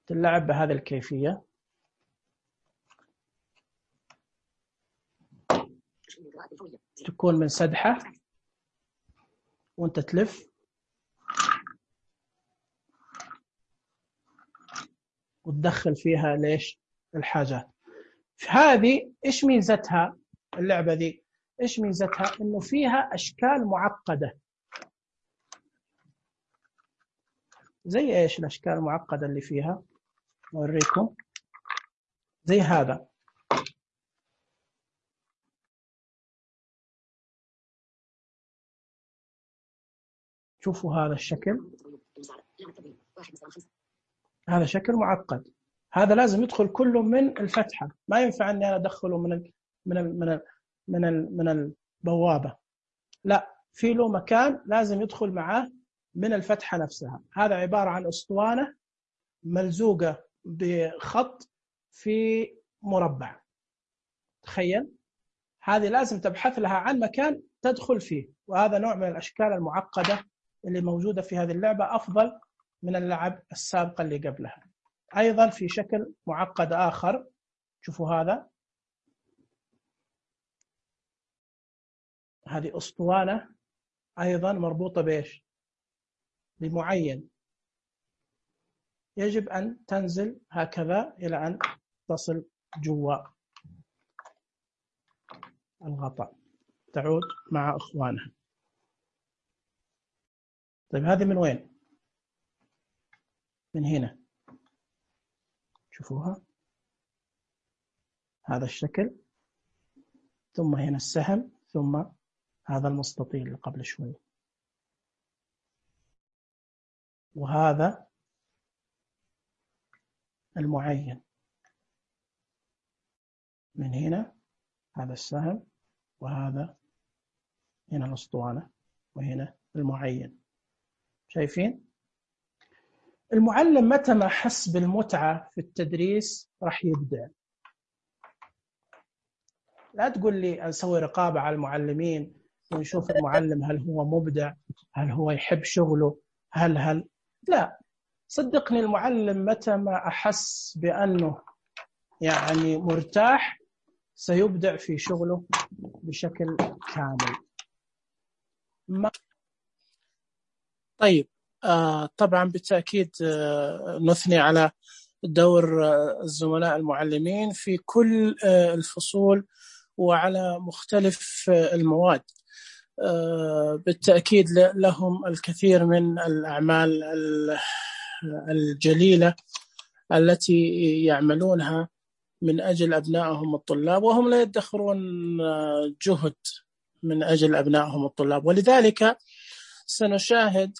تلعب بهذه الكيفية. تكون من سدحة وانت تلف وتدخل فيها ليش الحاجات. هذه إيش ميزتها اللعبة ذي؟ إيش ميزتها؟ إنه فيها أشكال معقدة. زي إيش الأشكال المعقدة اللي فيها؟ أوريكم. زي هذا، شوفوا هذا الشكل، هذا شكل معقد. هذا لازم يدخل كله من الفتحة، ما ينفع أني أنا أدخله من ال من ال من ال من ال من البوابة، لا، في له مكان لازم يدخل معاه من الفتحة نفسها. هذا عبارة عن أسطوانة ملزوقة بخط في مربع. تخيل، هذه لازم تبحث لها عن مكان تدخل فيه، وهذا نوع من الأشكال المعقدة اللي موجودة في هذه اللعبة، أفضل من اللعب السابقة اللي قبلها. أيضا في شكل معقد آخر، شوفوا هذا، هذه أسطوانة أيضا مربوطة بإيش؟ بمعين، يجب أن تنزل هكذا إلى أن تصل جوا الغطاء، تعود مع أخوانها. طيب هذه من وين؟ من هنا، شوفوها، هذا الشكل، ثم هنا السهم، ثم هذا المستطيل اللي قبل شوي، وهذا المعين من هنا، هذا السهم، وهذا هنا الأسطوانة، وهنا المعين. شايفين؟ المعلم متى ما حس بالمتعة في التدريس راح يبدع. لا تقول لي نسوي رقابة على المعلمين ونشوف المعلم هل هو مبدع، هل هو يحب شغله، هل هل لا، صدقني المعلم متى ما أحس بأنه يعني مرتاح سيبدع في شغله بشكل كامل. ما... طيب آه طبعا بالتأكيد آه نثني على دور آه الزملاء المعلمين في كل آه الفصول وعلى مختلف آه المواد. آه بالتأكيد لهم الكثير من الأعمال الجليلة التي يعملونها من أجل أبنائهم الطلاب، وهم لا يدخرون جهد من أجل أبنائهم الطلاب. ولذلك سنشاهد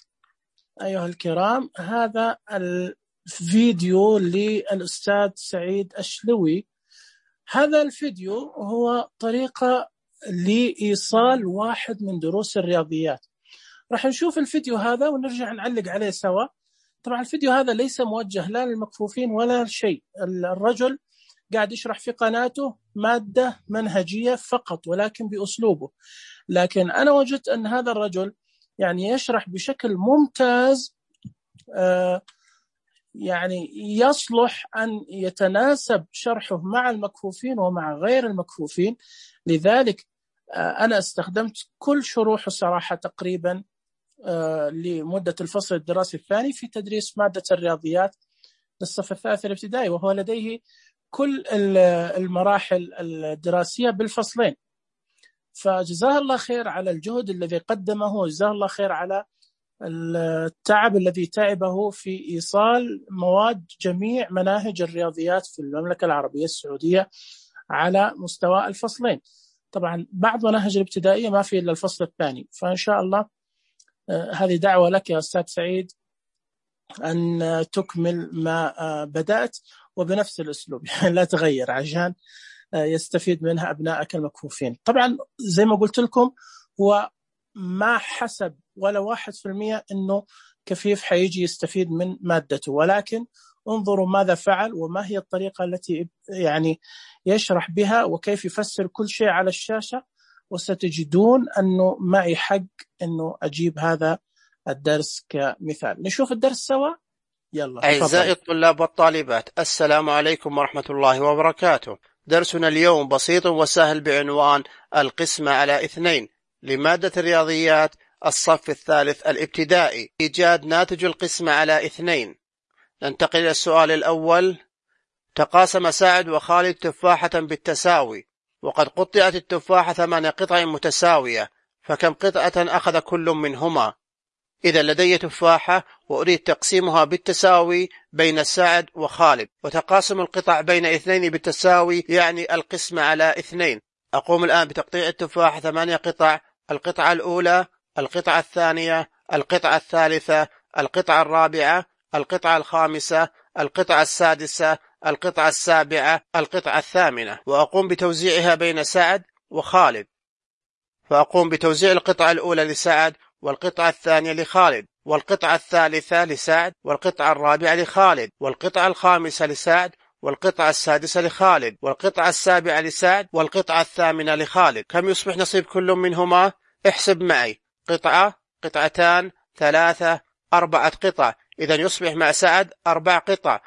أيها الكرام هذا الفيديو للأستاذ سعيد أشلوي. هذا الفيديو هو طريقة لإيصال واحد من دروس الرياضيات. راح نشوف الفيديو هذا ونرجع نعلق عليه سوا. طبعا الفيديو هذا ليس موجه لا للمكفوفين ولا شيء، الرجل قاعد يشرح في قناته مادة منهجية فقط ولكن بأسلوبه، لكن أنا وجدت أن هذا الرجل يعني يشرح بشكل ممتاز، آه يعني يصلح أن يتناسب شرحه مع المكفوفين ومع غير المكفوفين. لذلك آه أنا استخدمت كل شروحه صراحة تقريبا آه لمدة الفصل الدراسي الثاني في تدريس مادة الرياضيات للصف الثالث الابتدائي، وهو لديه كل المراحل الدراسية بالفصلين. فجزاه الله خير على الجهد الذي قدمه، وجزاه الله خير على التعب الذي تعبه في إيصال مواد جميع مناهج الرياضيات في المملكة العربية السعودية على مستوى الفصلين. طبعا بعض مناهج الابتدائية ما في إلا الفصل الثاني، فإن شاء الله هذه دعوة لك يا أستاذ سعيد أن تكمل ما بدأت وبنفس الأسلوب، لا تغير عشان يستفيد منها أبنائك المكفوفين. طبعا زي ما قلت لكم هو ما حسب ولا واحد في المية أنه كفيف حيجي يستفيد من مادته، ولكن انظروا ماذا فعل وما هي الطريقة التي يعني يشرح بها وكيف يفسر كل شيء على الشاشة، وستجدون أنه معي حق أنه أجيب هذا الدرس كمثال. نشوف الدرس سوا. يلا. أعزائي الطلاب والطالبات، السلام عليكم ورحمة الله وبركاته. درسنا اليوم بسيط وسهل بعنوان القسمة على اثنين لمادة الرياضيات الصف الثالث الابتدائي، إيجاد ناتج القسمة على اثنين. ننتقل إلى السؤال الأول. تقاسم سعد وخالد تفاحة بالتساوي، وقد قطعت التفاحة ثمان قطع متساوية، فكم قطعة أخذ كل منهما؟ إذا لدي تفاحة وأريد تقسيمها بالتساوي بين سعد وخالد، وتقاسم القطع بين اثنين بالتساوي يعني القسمة على اثنين. أقوم الآن بتقطيع التفاحة ثمانية قطع: القطعة الأولى، القطعة الثانية، القطعة الثالثة، القطعة الرابعة، القطعة الخامسة، القطعة السادسة، القطعة السابعة، القطعة الثامنة، وأقوم بتوزيعها بين سعد وخالد. فأقوم بتوزيع القطعة الأولى لسعد، والقطعة الثانية لخالد، والقطعة الثالثة لسعد، والقطعة الرابعة لخالد، والقطعة الخامسة لسعد، والقطعة السادسة لخالد، والقطعة السابعة لسعد، والقطعة الثامنة لخالد. كم يصبح نصيب كل منهما؟ احسب معي. قطعة، قطعتان، ثلاثة، أربعة قطع. إذا يصبح مع سعد أربع قطع،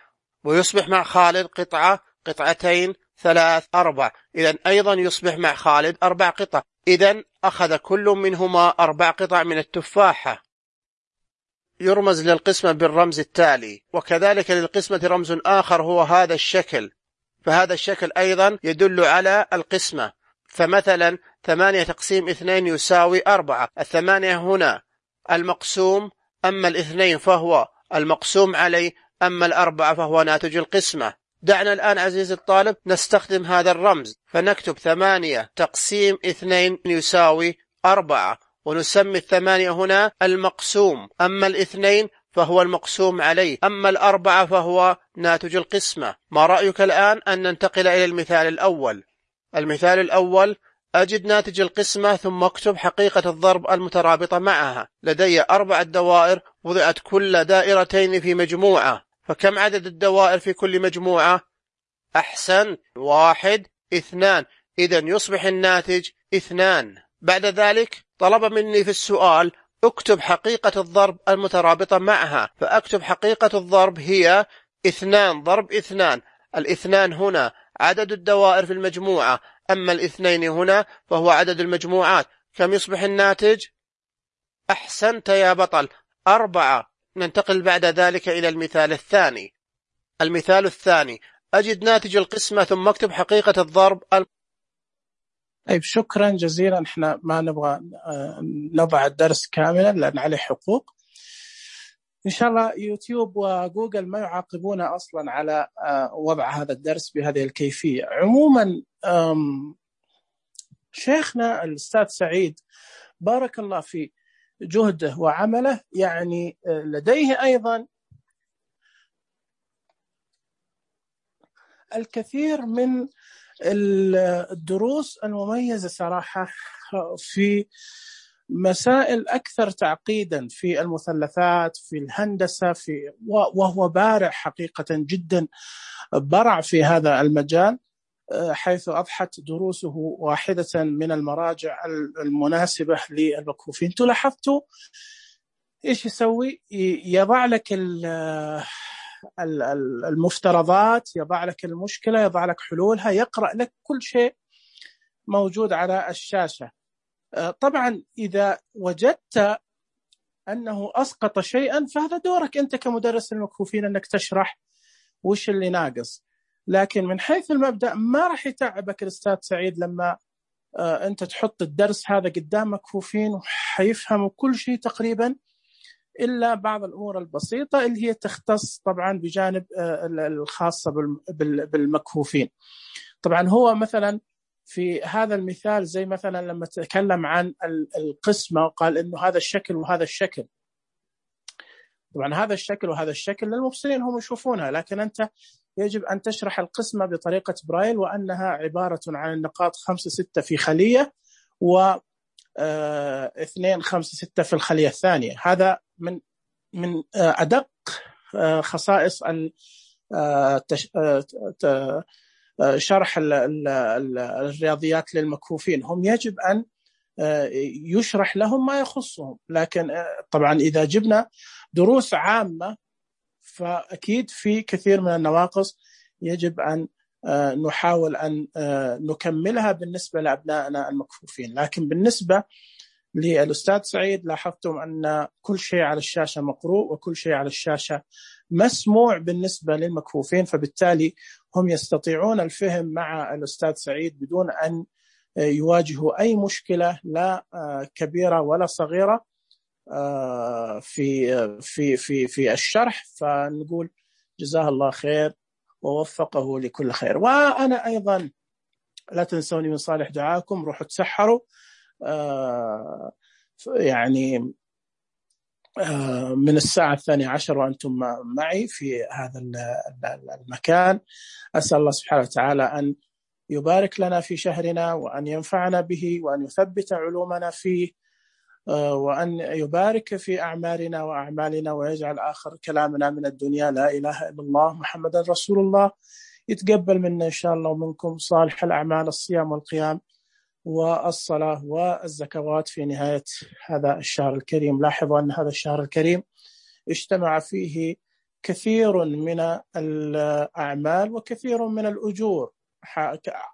ويصبح مع خالد قطعة، قطعتين، ثلاث، أربع. إذا أيضا يصبح مع خالد أربع قطع. إذا أخذ كل منهما أربع قطع من التفاحة. يرمز للقسمة بالرمز التالي، وكذلك للقسمة رمز آخر هو هذا الشكل، فهذا الشكل أيضا يدل على القسمة. فمثلا ثمانية تقسيم اثنين يساوي أربعة. الثمانية هنا المقسوم، أما الاثنين فهو المقسوم عليه، أما الأربعة فهو ناتج القسمة. دعنا الآن عزيزي الطالب نستخدم هذا الرمز، فنكتب ثمانية تقسيم اثنين يساوي أربعة، ونسمي الثمانية هنا المقسوم، أما الاثنين فهو المقسوم عليه، أما الأربعة فهو ناتج القسمة. ما رأيك الآن أن ننتقل إلى المثال الأول؟ المثال الأول: أجد ناتج القسمة ثم اكتب حقيقة الضرب المترابطة معها. لدي أربعة دوائر وضعت كل دائرتين في مجموعة، فكم عدد الدوائر في كل مجموعة؟ أحسن، واحد، اثنان. إذا يصبح الناتج اثنان. بعد ذلك طلب مني في السؤال اكتب حقيقة الضرب المترابطة معها، فأكتب حقيقة الضرب هي اثنان ضرب اثنان. الاثنان هنا عدد الدوائر في المجموعة، أما الاثنين هنا فهو عدد المجموعات. كم يصبح الناتج؟ أحسنت يا بطل، أربعة. ننتقل بعد ذلك إلى المثال الثاني. المثال الثاني: أجد ناتج القسمة ثم اكتب حقيقة الضرب. طيب شكرا جزيلا. احنا ما نبغى نضع الدرس كاملا لأن عليه حقوق. إن شاء الله يوتيوب وجوجل ما يعاقبون أصلا على وضع هذا الدرس بهذه الكيفية. عموما شيخنا الأستاذ سعيد بارك الله في جهده وعمله، يعني لديه أيضا الكثير من الدروس المميزة صراحة في مسائل أكثر تعقيدا في المثلثات، في الهندسة، في وهو بارع حقيقة جدا، برع في هذا المجال، حيث أضحت دروسه واحدة من المراجع المناسبة للمكفوفين. انتوا لاحظتوا إيش يسوي؟ يضع لك المفترضات، يضع لك المشكلة، يضع لك حلولها، يقرأ لك كل شيء موجود على الشاشة. طبعا إذا وجدت أنه أسقط شيئا فهذا دورك أنت كمدرس المكفوفين أنك تشرح وش اللي ناقص، لكن من حيث المبدأ ما راح يتعبك الأستاذ سعيد لما أنت تحط الدرس هذا قدام مكفوفين وحيفهموا كل شيء تقريبا إلا بعض الأمور البسيطة اللي هي تختص طبعا بجانب الخاصة بالمكفوفين. طبعا هو مثلا في هذا المثال زي مثلا لما تكلم عن القسمة وقال إنه هذا الشكل وهذا الشكل، طبعا هذا الشكل وهذا الشكل للمبصرين هم يشوفونها، لكن أنت يجب أن تشرح القسمة بطريقة برايل، وأنها عبارة عن النقاط خمسة ستة في خلية و اثنين خمسة ستة في الخلية الثانية. هذا من من أدق خصائص شرح الرياضيات للمكفوفين، هم يجب أن يشرح لهم ما يخصهم. لكن طبعا إذا جبنا دروس عامة فأكيد في كثير من النواقص يجب أن نحاول أن نكملها بالنسبة لأبنائنا المكفوفين. لكن بالنسبة للأستاذ سعيد لاحظتم أن كل شيء على الشاشة مقروء وكل شيء على الشاشة مسموع بالنسبة للمكفوفين، فبالتالي هم يستطيعون الفهم مع الأستاذ سعيد بدون أن يواجهوا أي مشكلة لا كبيرة ولا صغيرة في في في في الشرح. فنقول جزاه الله خير ووفقه لكل خير. وأنا أيضا لا تنسوني من صالح دعاكم، روحوا تسحروا يعني من الساعة الثانية عشر وأنتم معي في هذا المكان. أسأل الله سبحانه وتعالى أن يبارك لنا في شهرنا وأن ينفعنا به وأن يثبت علومنا فيه وأن يبارك في أعمالنا وأعمالنا ويجعل آخر كلامنا من الدنيا لا إله إلا الله محمد رسول الله. يتقبل منا إن شاء الله ومنكم صالح الأعمال، الصيام والقيام والصلاة والزكوات في نهاية هذا الشهر الكريم. لاحظوا أن هذا الشهر الكريم اجتمع فيه كثير من الأعمال وكثير من الأجور،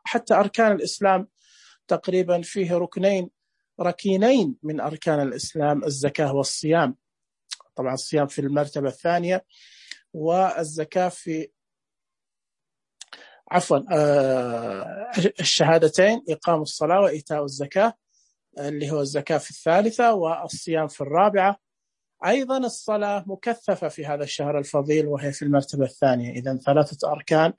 حتى أركان الإسلام تقريبا فيه ركنين ركينين من أركان الإسلام، الزكاة والصيام. طبعا الصيام في المرتبة الثانية والزكاة في عفوا الشهادتين، إقام الصلاة وإيتاء الزكاة اللي هو الزكاة في الثالثة والصيام في الرابعة. أيضا الصلاة مكثفة في هذا الشهر الفضيل وهي في المرتبة الثانية. إذن ثلاثة أركان،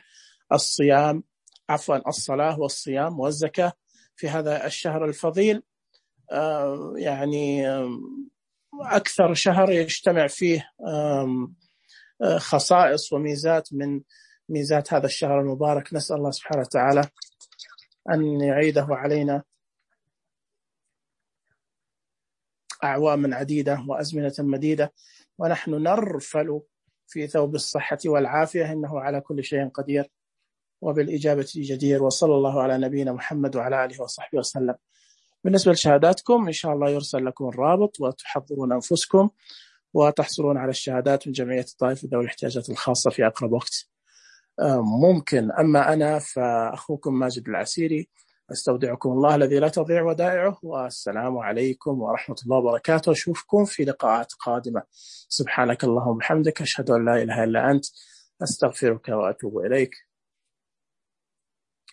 الصيام عفوا الصلاة والصيام والزكاة في هذا الشهر الفضيل، يعني أكثر شهر يجتمع فيه خصائص وميزات من ميزات هذا الشهر المبارك. نسأل الله سبحانه وتعالى أن يعيده علينا أعواما عديدة وأزمنة مديدة ونحن نرفل في ثوب الصحة والعافية، إنه على كل شيء قدير وبالإجابة جدير. وصلى الله على نبينا محمد وعلى آله وصحبه وسلم. بالنسبة لشهاداتكم إن شاء الله يرسل لكم الرابط وتحضرون أنفسكم وتحصلون على الشهادات من جمعية الطائف ذوي الاحتياجات الخاصة في أقرب وقت ممكن. أما أنا فأخوكم ماجد العسيري، أستودعكم الله الذي لا تضيع ودائعه، والسلام عليكم ورحمة الله وبركاته. أشوفكم في لقاءات قادمة. سبحانك اللهم وبحمدك، أشهد أن لا إله إلا أنت، أستغفرك وأتوب إليك.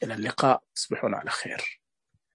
إلى اللقاء، تصبحون على خير.